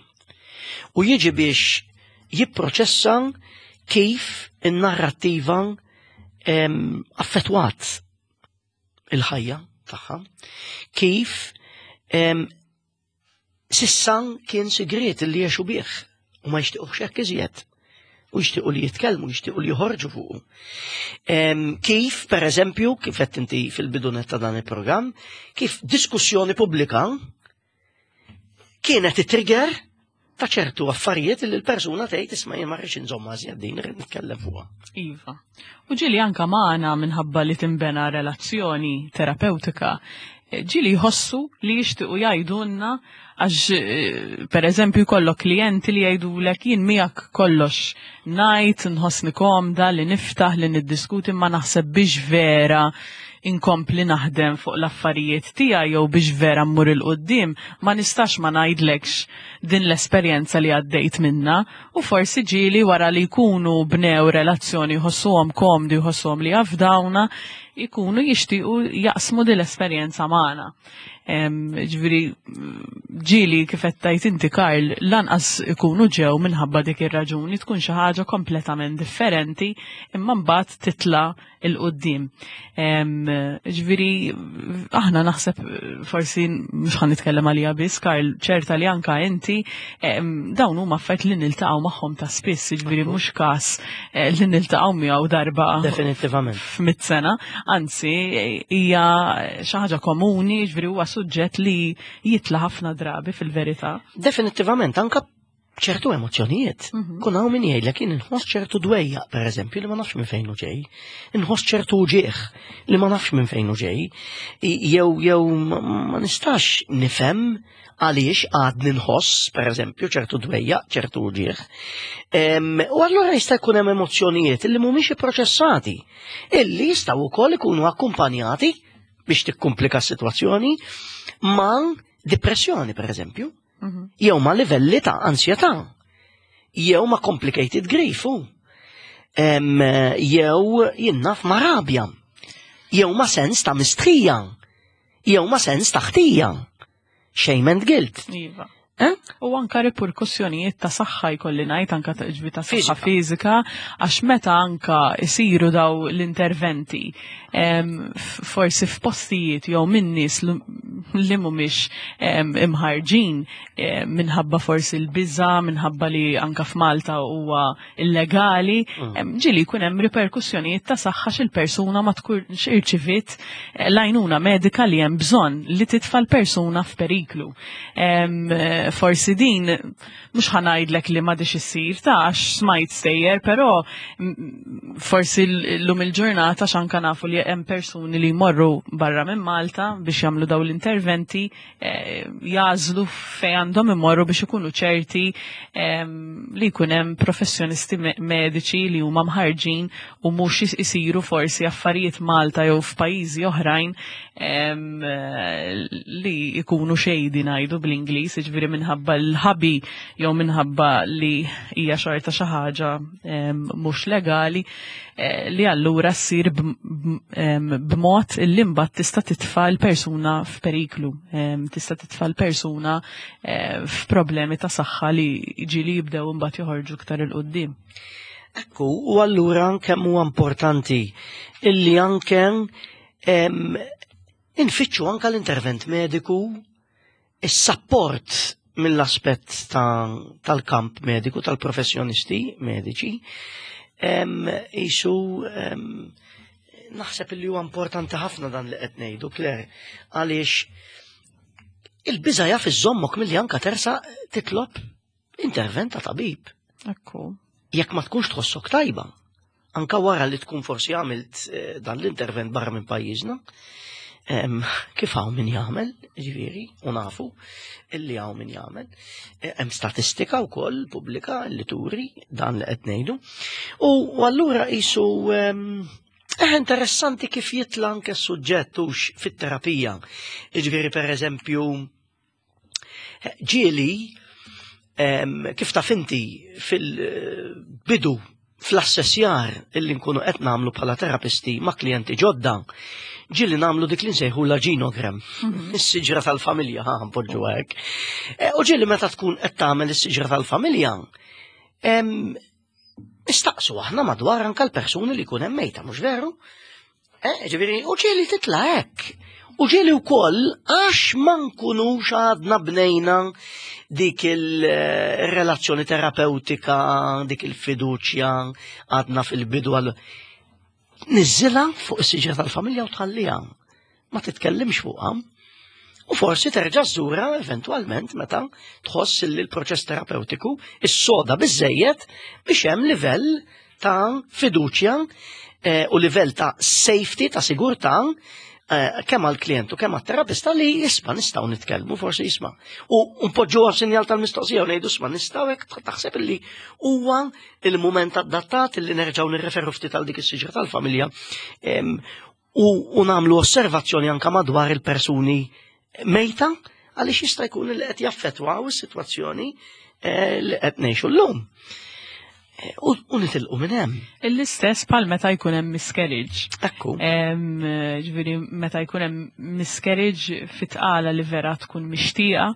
U jiġi biex jipproċessa kif in-narrattiva affettwat il-ħajja tagħha, kif sissa kien sigriet li jgħixu bih u ma jixtiequx hekk iżjed u jixtiequ li jitkellmu, jixtiequ li joħorġu fuqu. Kif, per eżempju, kif qed inti fil-bidunet ta' dan il-programm, kif diskussjoni pubblika kienet it-trigger ta' ċertu affarijiet li l-persuna tgħid isma' jien ma rridx inżommha iżjed din irrid nitkellem fuqha. Iva. U ġieli anka magħna minħabba li tinbena relazzjoni terapeutika, ġieli jħossu li jixtiequ jgħidulna għax eh, per eżempju jkollok klijenti li jgħidulek jien miegħek kollox ngħid, nħossni komda li niftaħ li niddiskuti ma naħseb biex vera inkompli naħdem fuq l-affarijiet tiegħi jew biex vera mmur 'il quddiem ma nistax ma ngħidlekx din l-esperjenza li għaddejt minna u forsi ġieli wara li jkunu bnew relazzjoni jħossuhom komdi jħossuhom li jafdawna jkunu jixtiequ jaqsmu din l-esperjenza magħna. Ġifieri ġieli kif qed tgħid inti Karl lanqas ikunu ġew minħabba dik ir-raġuni tkun xi ħaġa kompletament differenti imma mbagħad titla' 'il quddiem. Ġifieri aħna naħseb forsi mhux ħan nitkellem għalija biss, Karl, ċerta li anka inti dawn huma affarijiet li niltaqgħu magħhom ta' spiss, ġifieri mhux każ eh, li niltaqgħu miegħu darba Definitivament. f'mit sena, anzi hija xi ħaġa komuni, ġifieri huwa suġġett li jitla' ħafna drabi fil-verità. Definitivament, anka ċertu emozzjonijiet. Mhm. Kun hawn min jgħidlek jien inħoss ċertu dwejjaq, pereżempju, li ma nafx minn fejn hu ġej. Inħoss ċertu uġieħ li ma nafx minn fejn hu ġej. Jew jew ma nistax nifhem għaliex għadni nħoss, pereżempju, ċertu dwejjaq, ċertu uġieħ. U allura jista' jkun hemm emozzjonijiet li mhumiex ipproċessati, illi jistgħu wkoll ikunu akkumpanjati biex tikkumplika s-sitwazzjoni ma' depressjoni, pereżempju. Mhm. Jew ma' livelli ta' ansjetà. Jew ma' complicated grief. Jew jinnaf ma' rabja. Jew ma' sens ta' mistħija. Jew ma' sens ta' ħtija. Shame and guilt. Iva. Eh? U anka riperkussjonijiet ta' saħħa jkolli ngħid anka ta' ġbi ta' saħħa fiżika għax meta anka isiru daw l-interventi forsi f'postijiet jew minn nies li mhumiex imħarġin minħabba forsi l-biża, minħabba li anka f'Malta huwa illegali, mm. ġieli jkun hemm riperkussjonijiet ta' saħħa xil-persuna ma tkunx irċiviet eh, l-għajnuna medika li hemm bżonn li titfa' l-persuna f'periklu. Forsi din mhux ħa ngħidlek li m'għadix issir ta' għax smajt stejjer, però forsi llum il-ġurnata x'anka nafu li hemm persuni li jmorru barra minn Malta biex jagħmlu dawn l-interventi jagħżlu fejn għandhom imorru biex ikunu ċerti li jkun hemm professjonisti mediċi li huma mħarġin u mhux isiru forsi affarijiet Malta jew f'pajjiżi oħrajn li jkunu xejdi ngħidu bl-Ingliż, jiġifieri minħabba l-ħabi jew minħabba li hija xorta xi ħaġa mhux legali eh, li allura ssir b'mod li mbagħad tista' titfa' l-persuna f'periklu, tista' titfa' l-persuna eh, f'problemi ta' saħħa li ġieli jibdew imbagħad joħorġu iktar 'il quddiem. Ekku, u allura kemm huwa importanti illi anke infittxu anke l-intervent mediku, is-sapport mill-aspett tal-kamp mediku, tal-professjonisti mediċi, jisu naħseb li huwa importanti ħafna dan li qed ngħidu, Claire, għaliex il-biża jaf iżommok milli anka tersa titlob intervent ta' tabib. Ekku. Jekk ma tkunx tħossok tajba, anka wara li tkun forsi għamilt eh, dan l-intervent barra minn pajjiżna, kif hawn min jagħmel, ġifieri, u nafu illi hawn min jagħmel. Eh, hemm statistika wkoll pubblika li turi dan li qed ngħidu. U allura qisu eh, interessanti kif jitla anke s-suġġett hux fit-terapija. Ġifieri pereżempju Ġieli, kif taf inti fil-bidu fl-assessjar illi nkunu qed nagħmlu bħala terapisti ma' klijenti ġodda, ġieli nagħmlu dik li nsejħu la ġinogram, is-siġra tal-familja, ħa npoġġu hekk. E, u ġieli meta tkun qed tagħmel is-siġra tal-familja, nistaqsu aħna madwar anka l-persuni li jkun hemm mejta, mhux veru? Eh, ġifieri, u ġieli titla' hekk. U ġieli wkoll għax ma nkunux għadna bnejna dik il-relazzjoni terapeutika, dik il-fiduċja għadna fil-bidu għal niżżilha fuq is-siġra tal-familja u tħalliha. Ma titkellimx fuqha. U forsi terġa' żżura eventwalment meta tħoss li l-proċess terapeutiku is-soda biżejjed biex hemm livell ta' fiduċja eh, u livell ta' safety, ta' sigurtà eh, kemm għall-klient u kemm għat-terapista li jisma' nistgħu nitkellmu forsi jisma'. U npoġġu sinjal tal-mistoqsija u ngħidu sma' nistgħu hekk taħseb li huwa il-mument adattat li nerġgħu nirreferu ftit għal dik is-siġra tal-familja u nagħmlu osservazzjoni anka madwar il-persuni mejta għaliex jista' jkun li qed jaffettwaw is-sitwazzjoni eh, li qed ngħixu llum. Eh, u nitilqu minn hemm. L-istess bħal meta jkun hemm miscarriage. Ekku. Ġifieri meta jkun hemm miscarriage fit-tqala li vera tkun mixtieqa,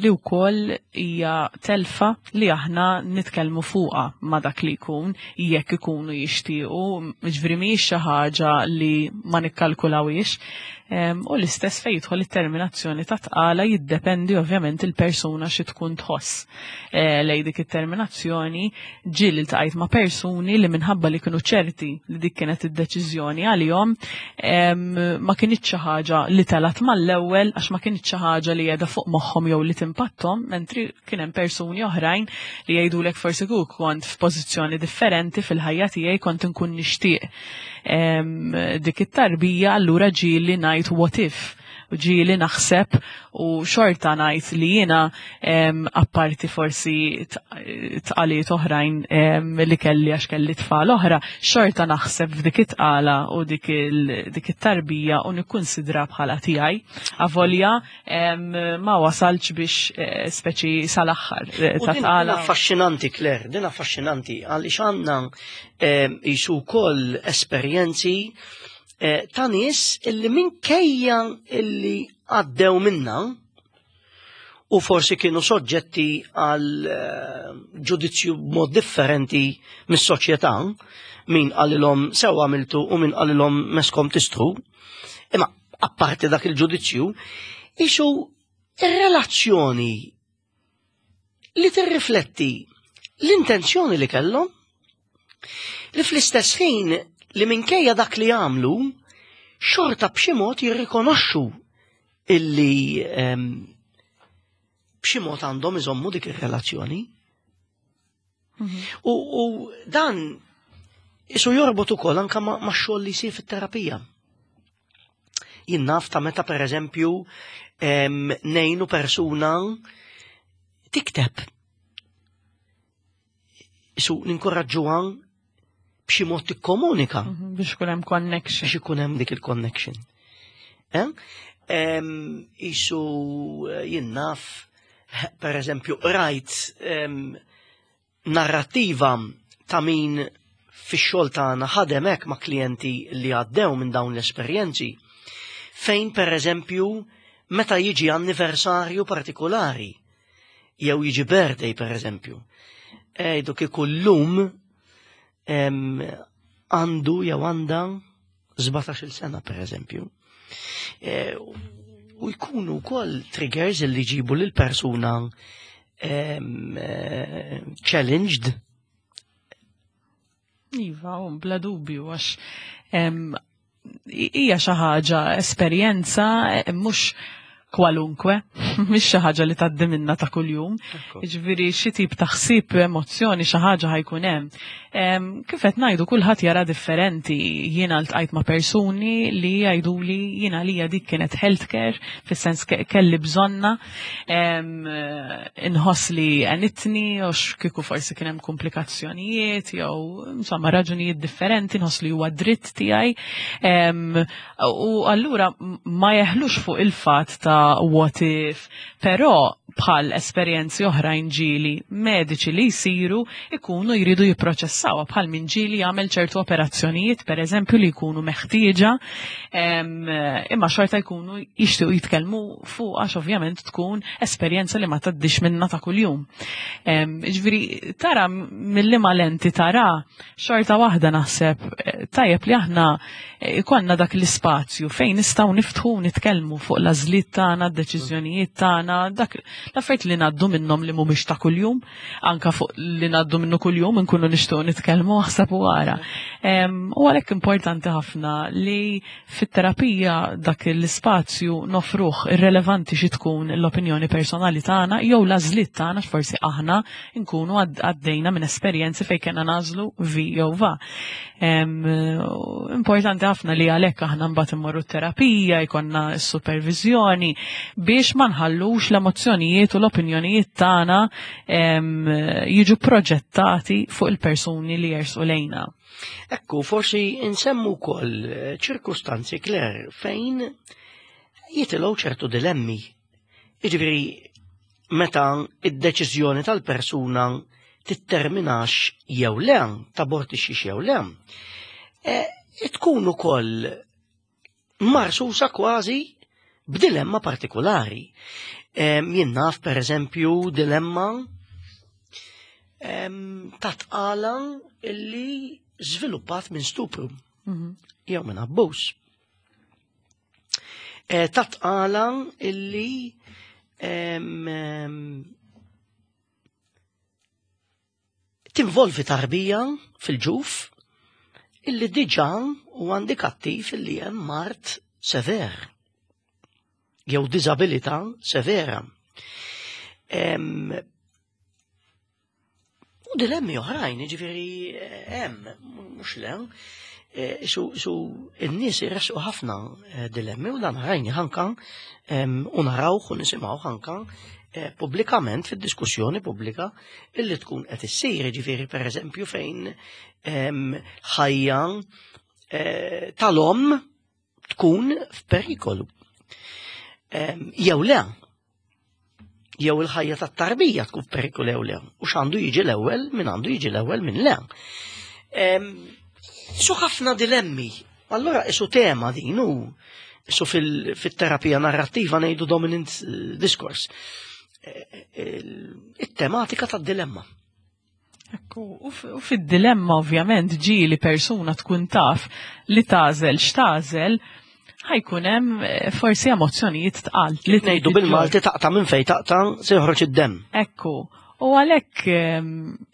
li wkoll hija telfa li aħna nitkellmu fuqha ma' dak li jkun jekk ikunu jixtiequ, ġifieri mhijiex xi ħaġa li ma nikkalkulawhiex. U l-istess fejn jidħol it-terminazzjoni ta' tqala jiddependi ovvjament il-persuna xi tkun tħoss eh, lej dik it-terminazzjoni ġieli ltqajt ma' persuni li minħabba li kienu ċerti li dik kienet id-deċiżjoni għalihom ma kinitx xi ħaġa li telgħet mal-ewwel għax ma kinitx xi ħaġa li qiegħda fuq moħħhom jew li timpatthom, mentri kien hemm persuni oħrajn li jgħidulek forsi kieku kont f'pożizzjoni differenti fil-ħajja tiegħi kont inkun nixtieq dik it-tarbija allura ġieli ngħid what if u ġieli naħseb u xorta ngħid li jiena apparti forsi tqaliet oħrajn li kelli għax kelli tfal oħra, xorta naħseb f'dik it-tqala u dik it-tarbija u nikkunsidra bħala tiegħi. Avolja ma wasalx biex eh, speċi sal-aħħar eh, ta' tqala. Affaxxinanti, Claire, din affaxxinanti għaliex għandna jisu wkoll esperjenzi Eh, ta' nies illi minkejja illi għaddew minna u forsi kienu soġġetti għal eh, ġudizzju b'mod differenti mis-soċjetà, min qalilhom sew għamiltu u min qalilhom meskom tistħu. Imma apparti dak il-ġudizzju, isu ir-relazzjoni li tirrifletti l-intenzjoni li kellhom li fl-istess ħin li minkejja dak li għamlu xorta b'xi mod jirrikonoxxu illi ehm, B'xi mod għandhom iżommu dik ir-relazzjoni. U dan isu jorbot ukoll anka ma' xogħol li jsir fit-terapija. Jien naf ta' meta pereżempju ngħinu persuna tikteb. Isu ninkoraġġuha b'xi mod tikkomunika. Biex ikun hemm connection. Biex ikun hemm dik il-connection. Isu jien naf, per eżempju, rajt narrattiva ta' min fix-xogħol tagħna ħadem hekk ma' klijenti li għaddew minn dawn l-esperjenzi, fejn per eżempju meta jiġi anniversarju partikolari, jew jiġi birthday per eżempju, ejdu kieku llum għandu jew għandha 17-il sena per eżempju. U jkunu wkoll triggers li jġibu lil persuna challenged. Iva, u bla dubju, għax hija xi ħaġa esperjenza mhux kwalunkwe, mhix xi ħaġa li tgħaddi minna ta' kuljum. Jiġifieri xi tip ta' ħsieb, emozzjoni, xi ħaġa ħajkun hemm. Kif qed ngħidu kulħadd jara differenti. Jiena ltqajt ma' persuni li jgħiduli jiena lija dik kienet healthcare, fis-sens kelli bżonna, inħoss li għenitni, u kieku forsi kien hemm komplikazzjonijiet jew insomma raġunijiet differenti, nħoss li huwa dritt tiegħi. U allura ma jeħlux fuq il-fatt ta' what if, però bħal esperjenzi oħrajn ġieli mediċi li jsiru ikunu jridu jipproċessawha, bħal min ġieli jagħmel ċertu operazzjonijiet per eżempju li jkunu meħtieġa, imma xorta jkunu jixtiequ jitkellmu fuq għax ovvjament tkun esperjenza li ma tgħaddix minna ta' kuljum. Ġifieri tara mill-liema lenti tara xorta waħda naħseb tajjeb li aħna ikollna dak l-ispazju fejn nistgħu niftħu u nitkellmu fuq l-għażliet tagħna, d-deċiżjonijiet tagħna, dak l-affarijiet li ngħaddu minnhom li mhumiex ta' kuljum, anka fuq li ngħaddu minnu kuljum inkunu nixtiequ nitkellmu aħseb u ara. U għalhekk importanti ħafna li fit-terapija dak l-ispazju nofruh irrelevanti xi tkun l-opinjoni personali tagħna jew l-għażliet tagħna, forsi aħna nkunu għaddejna minn esperjenzi fejn kellna nagħżlu vi jew va. Importanti ħafna li għalhekk aħna mbagħad immorru t-terapija, jkollna s-supervizjoni biex ma nħallux l-emozzjonijiet u l-opinjonijiet tagħna jiġu proġettati fuq il-persuni li jersu lejna. Ekku, forsi nsemmu wkoll ċirkustanzi, Claire, fejn jitilgħu ċertu dilemmi. Jiġifieri meta id-deċiżjoni tal-persuna titterminax jew le, tabortixxix jew le, tkun ukoll marsusa kważi b'dilemma partikolari. Jien naf per eżempju dilemma ta' tqala illi żviluppat minn stupru jew minn abbuż. Ta' tqala illi tinvolvi tarbija fil-ġuf illi diġà huwa indikattiv illi hemm mard sever jew diżabilità severa. U dilemmi oħrajn, jiġifieri hemm, mhux le, su n-nies iressqu ħafna dilemmi u dan rajni ħanka u narawh u nisimgħu ħanka pubblikament fid-diskussjoni pubblika illi tkun qed issir, jiġifieri pereżempju fejn ħajja tal-omm tkun f'perikolu. Jew le, jew il-ħajja tat-tarbija tkun f'perikolu jew le, u x'għandu jiġi l-ewwel, min għandu jiġi l-ewwel minn le. Su ħafna dilemmi. Allora isu tema din u isu fil-terapija narrattiva ngħidu dominant discourse. It-tematika tad-dilemma. Ekku, u fid-dilemma ovvjament ġieli persuna tkun taf li tażel x'tażel, ħajkun hemm forsi emozzjonijiet tqal. Li ngħidu bil-Malti taqta' minn fejn taqta' se joħroġ id-demm. Ekku. U għalhekk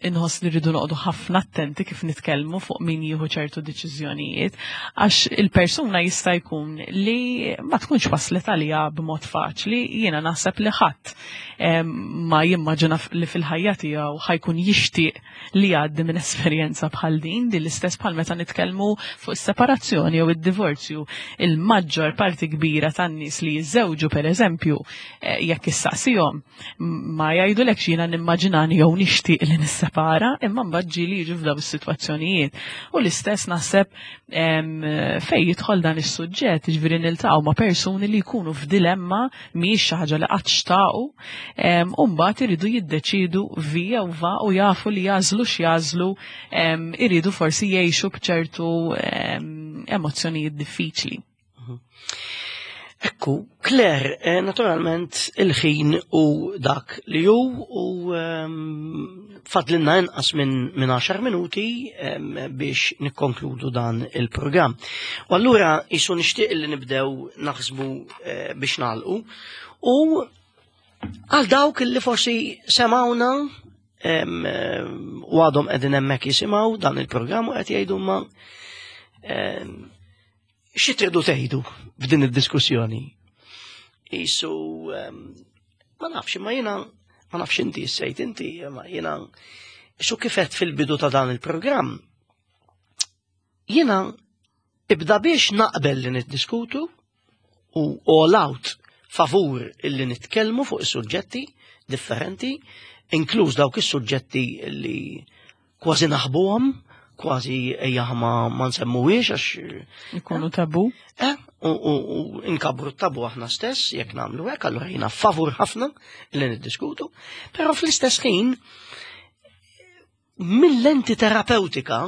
inħoss li rridu noqogħdu ħafna attenti kif nitkellmu fuq min jieħu ċertu deċiżjonijiet, għax il-persuna jista' jkun li ma tkunx waslet għaliha b'mod faċli, jiena naħseb li ħadd ma jimmaġina li fil-ħajja tiegħu ħajkun jixtieq li jgħaddi minn esperjenza bħal din, din l-istess bħal meta nitkellmu fuq is-separazzjoni jew id-divorzju. Il-maġġor parti kbira tan-nies li jiżżewġu pereżempju, jekk issaqsihom ma jgħidulekx jiena nimmaġinani jew nixtieq li nissepara, imma mbagħad ġieli jiġu f'daw is-sitwazzjonijiet. U l-istess naħseb fejn jidħol dan is-suġġett, jiġifieri niltaqgħu ma' persuni li jkunu f'dilemma mhijiex xi ħaġa li qatt xtaqu, u mbagħad iridu jiddeċiedu vi jew va u jafu li jagħżlu x'jagħżlu, iridu forsi jgħixu b'ċertu emozzjonijiet diffiċli. Ekku, Claire, naturalment il-ħin u dak li hu u fadlinna inqas minn 10 minuti biex nikkonkludu dan il-programm. U allura jisu nixtieq li nibdew naħsbu biex nagħlqu u għal dawk li forsi semawna u għadhom qegħdin hemmhekk jisimgħu dan il-programm u qed jgħidu ma xi tridu tgħidu f'din id-diskussjoni? Isu ma nafx, imma jiena ma nafx inti sejt inti, ma jiena xu kifet fil-bidu ta' dan il-programm. Jiena ibda biex naqbel li niddiskutu u all out favur illi nitkellmu fuq is-suġġetti differenti, inkluż dawk is-suġġetti li kważi naħbuhom, kważi ejja ma nsemmuhiex għax ikunu tabu. U nkabru tabu aħna stess jekk nagħmlu hekk, allura jiena favur ħafna li niddiskutu, però fl-istess ħin mill-lenti terapeutika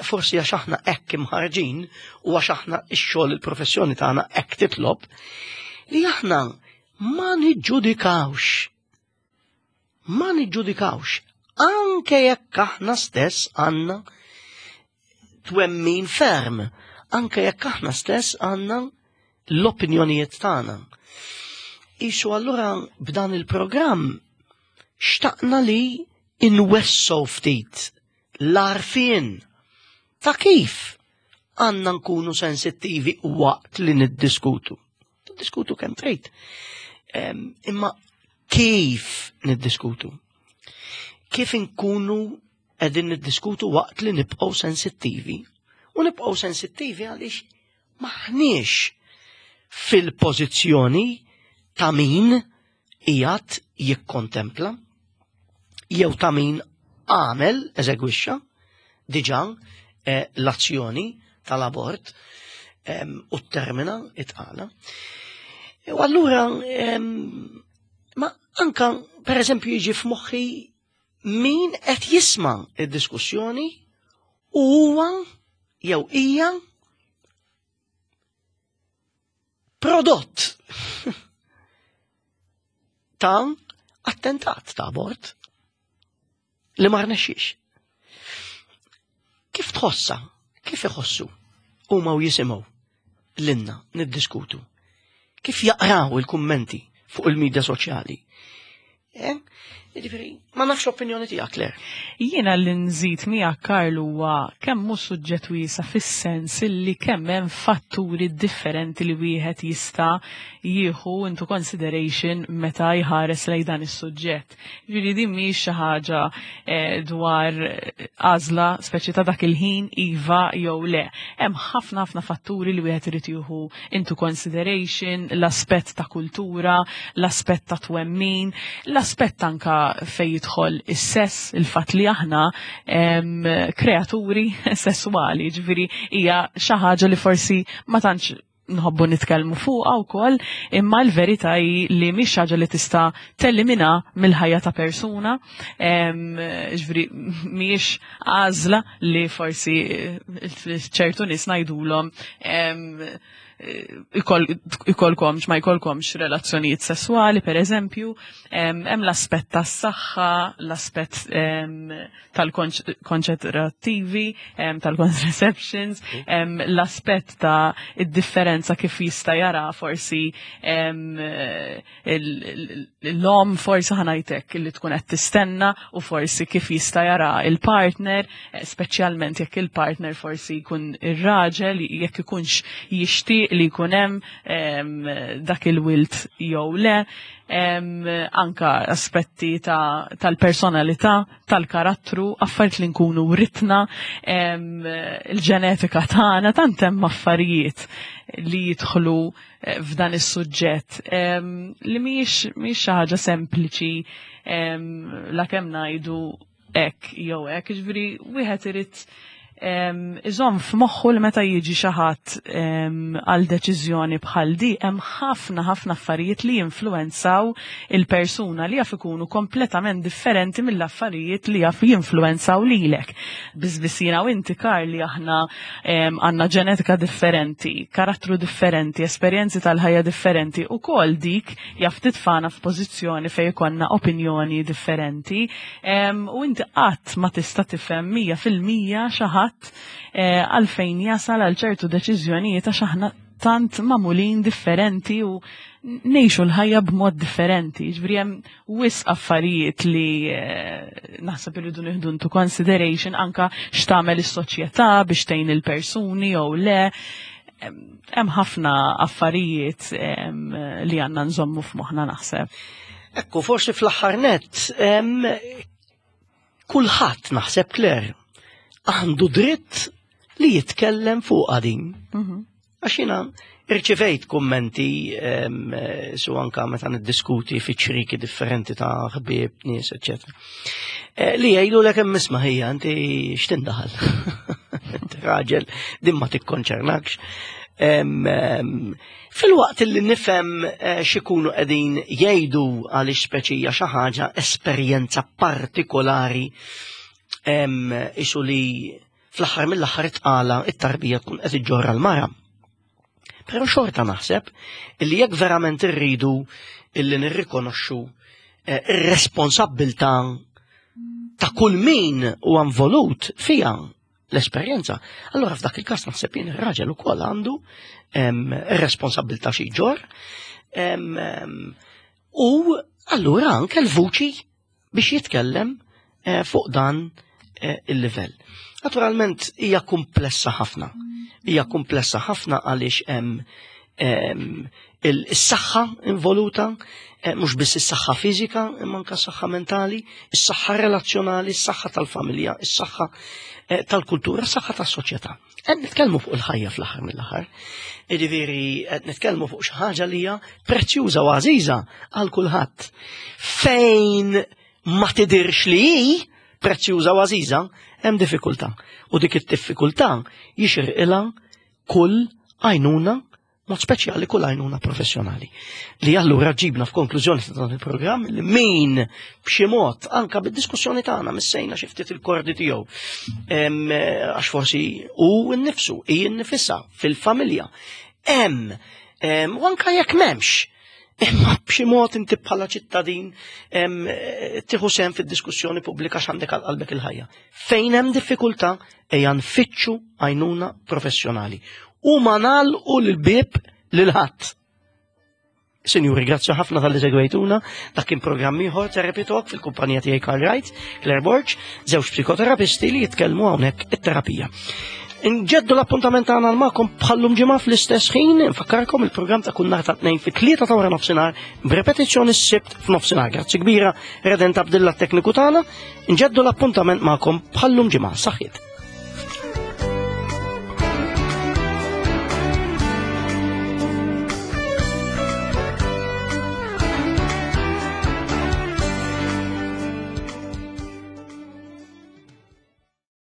forsi għax aħna hekk imħarġin u għax aħna x-xogħol il-professjoni tagħna hekk titlob li aħna ma niġġudikawx. Ma niġġudikawx anke jekk aħna stess għandna twemmin ferm, anke jekk aħna stess għandna l-opinjonijiet tagħna. Isu allura b'dan il-programm xtaqna li inwessu ftit l-għarfien ta' kif għandna nkunu sensittivi waqt li niddiskutu. Niddiskutu kemm trid. Imma kif niddiskutu? Kif inkunu qegħdin niddiskutu waqt li nibqgħu sensittivi? U nibqgħu sensittivi għaliex maħniex fil-pożizzjoni ta' min qiegħed jikkontempla jew ta' min għamel, eżegwixxa diġà l-azzjoni tal-abort u termina it-tqala. U allura ma anka per eżempju jiġi f'moħħi min qed jisma' id-diskussjoni u huwa jew hija prodott ta' attentat ta' abort li ma rnexxiex. Kif tħossa? Kif iħossu? Huma u jisimgħu lilna niddiskutu. Kif jaqraw il-kummenti fuq il-medja soċjali? Jiġifieri, ma nafx opinjoni tiegħek, Claire. Jiena li nżid miegħek, Karl, huwa kemm hu suġġett wiesa' fis-sens illi kemm hemm fatturi differenti li wieħed jista' jieħu into consideration meta jħares lejn dan is-suġġett. Ġifieri din mhix xi ħaġa dwar għażla speċi ta' dak il-ħin iva jew le. Hemm ħafna ħafna fatturi li wieħed irid jieħu into consideration, l-aspett ta' kultura, l-aspett ta' twemmin, l-aspett anka fejn jidħol is-sess, il-fatt li aħna kreaturi sesswali, ġifieri hija xi ħaġa li forsi ma tantx nħobbu nitkellmu fuqha wkoll, imma l-verità hi li mhix ħaġa li tista' tellimina mill-ħajja ta' persuna, ġifieri mhijiex għażla li forsi ċertu nies ngħidulhom. ikolkomx ma jkollkomx relazzjonijiet sesswali, per eżempju, hemm l-aspett tas-saħħa, l-aspett tal-konċentrattivi, tal-contraceptions, l-aspett ta' id-differenza kif jista' jara forsi l-om forsi ħanajtek li tkun qed tistenna u forsi kif jista' jara il-partner, speċjalment jekk il-partner forsi jkun ir-raġel, jekk ikunx jixtieq li jkun hemm dak il-wilt jew le, anka aspetti tal-personalità, tal-karattru, affarijiet li nkunu writna, il-ġenetika tagħna, tant hemm affarijiet li jidħlu f'dan is-suġġett li mhijiex xi ħaġa sempliċi la kemm ngħidu hekk jew hekk, jiġifieri wieħed irid iżomm f'moħħu li meta jiġi xi ħadd għal deċiżjoni bħal di hemm ħafna ħafna affarijiet li jinfluwenzaw il-persuna li jaf ikunu kompletament differenti mill-affarijiet li jaf jinfluwenzaw lilek. Biss jiena u inti Karl li aħna għandna ġenetika differenti, karattru differenti, esperjenzi tal-ħajja differenti u kol dik jaf titfana f'pożizzjoni fejn ikollna opinjoni differenti u inti qatt ma tista' tifhem 100% xi ħadd għalfejn jasal għal ċertu deċiżjonijiet għax aħna tant magħmulin differenti u ngħixu l-ħajja b'mod differenti. Ġifieri hemm wisq affarijiet li naħseb irridu nieħdu into consideration anka x'tagħmel is-soċjetà biex tgħin il-persuni jew le. Hemm ħafna affarijiet li għandna nżommu f'moħħna naħseb. Ekku, forsi fl-aħħar nett, kulħadd naħseb Claire għandu dritt li jitkellem fuq din. Għax jiena irċivejt kummenti su anka meta niddiskuti fi ċriki differenti ta' ħbieb, nies, eċetera. Li jgħidu lek hemm isma' ħija inti x'tindaħal. Inti raġel din ma tikkonċernakx. Fil-waqt li nifhem x'ikunu qegħdin jgħidu għaliex speċija xi ħaġa esperjenza partikolari isu li fl-aħħar mill-aħħar tqala it-tarbija tkun qed iġġorra l-mara. Però xorta naħseb illi jekk verament irridu illi nirrikonoxxu ir-responsabbiltà ta' kull min huwa involut fiha l-esperjenza, allora f'dak il-każ naħseb jien ir-raġel ukoll għandu ir-responsabbiltà xi jġorr u allura anke l-vuċi biex jitkellem fuq dan il-livell. Naturalment hija komplessa ħafna. Hija komplessa ħafna għaliex hemm is-saħħa involuta, mhux biss is-saħħa fiżika, imma anke s-saħħa mentali, is-saħħa relazzjonali, is-saħħa tal-familja, is-saħħa tal-kultura, is-saħħa tas-soċjetà. Qed nitkellmu fuq il-ħajja fl-aħħar mill-aħħar. Jiġifieri qed nitkellmu fuq xi ħaġa li hija prezzjuża u għażiża għal kulħadd. Fejn ma tidirx li hi prezzjuża u għażiża, hemm diffikultà. U dik id-diffikultà jixirqilha kull għajnuna, mod speċjali kull għajnuna professjonali. Li allura ġibna f'konklużjoni ta' dan il-programm li min b'xi mod anka bid-diskussjoni tagħna missejna xi ftit il-kordi tiegħu. Għax forsi hu nnifsu, hi nnifisha fil-familja. Hemm, u anka jekk m'hemmx, imma b'xi mod inti bħala ċittadin tieħu sehem fid-diskussjoni pubblika x'għandek għal qalbek il-ħajja. Fejn hemm diffikultà ejja nfittxu għajnuna professjonali. U ma nagħlqu l-bieb lil ħadd. Sinjuri, grazzi ħafna tal-li segwejtuna. Dak kien programm ieħor Therapy Talk fil-kumpanija tiegħi Karl Wright, Claire Borg, żewġ psikoterapisti li jitkellmu hawnhekk it-terapija. Nġeddu l-appuntament tagħna magħkom bħallum ġimgħa fl-istess ħin, nfakkarkom il-programm ta' kull nhar ta' tnejn fit-tlieta ta' wara nofsinhar b'repetizzjoni s-Sibt f'nofsinhar. Grazzi kbira Redent Abdilla tekniku tagħna. Nġeddu l-appuntament magħkom bħallum ġimgħa. Saħħiet.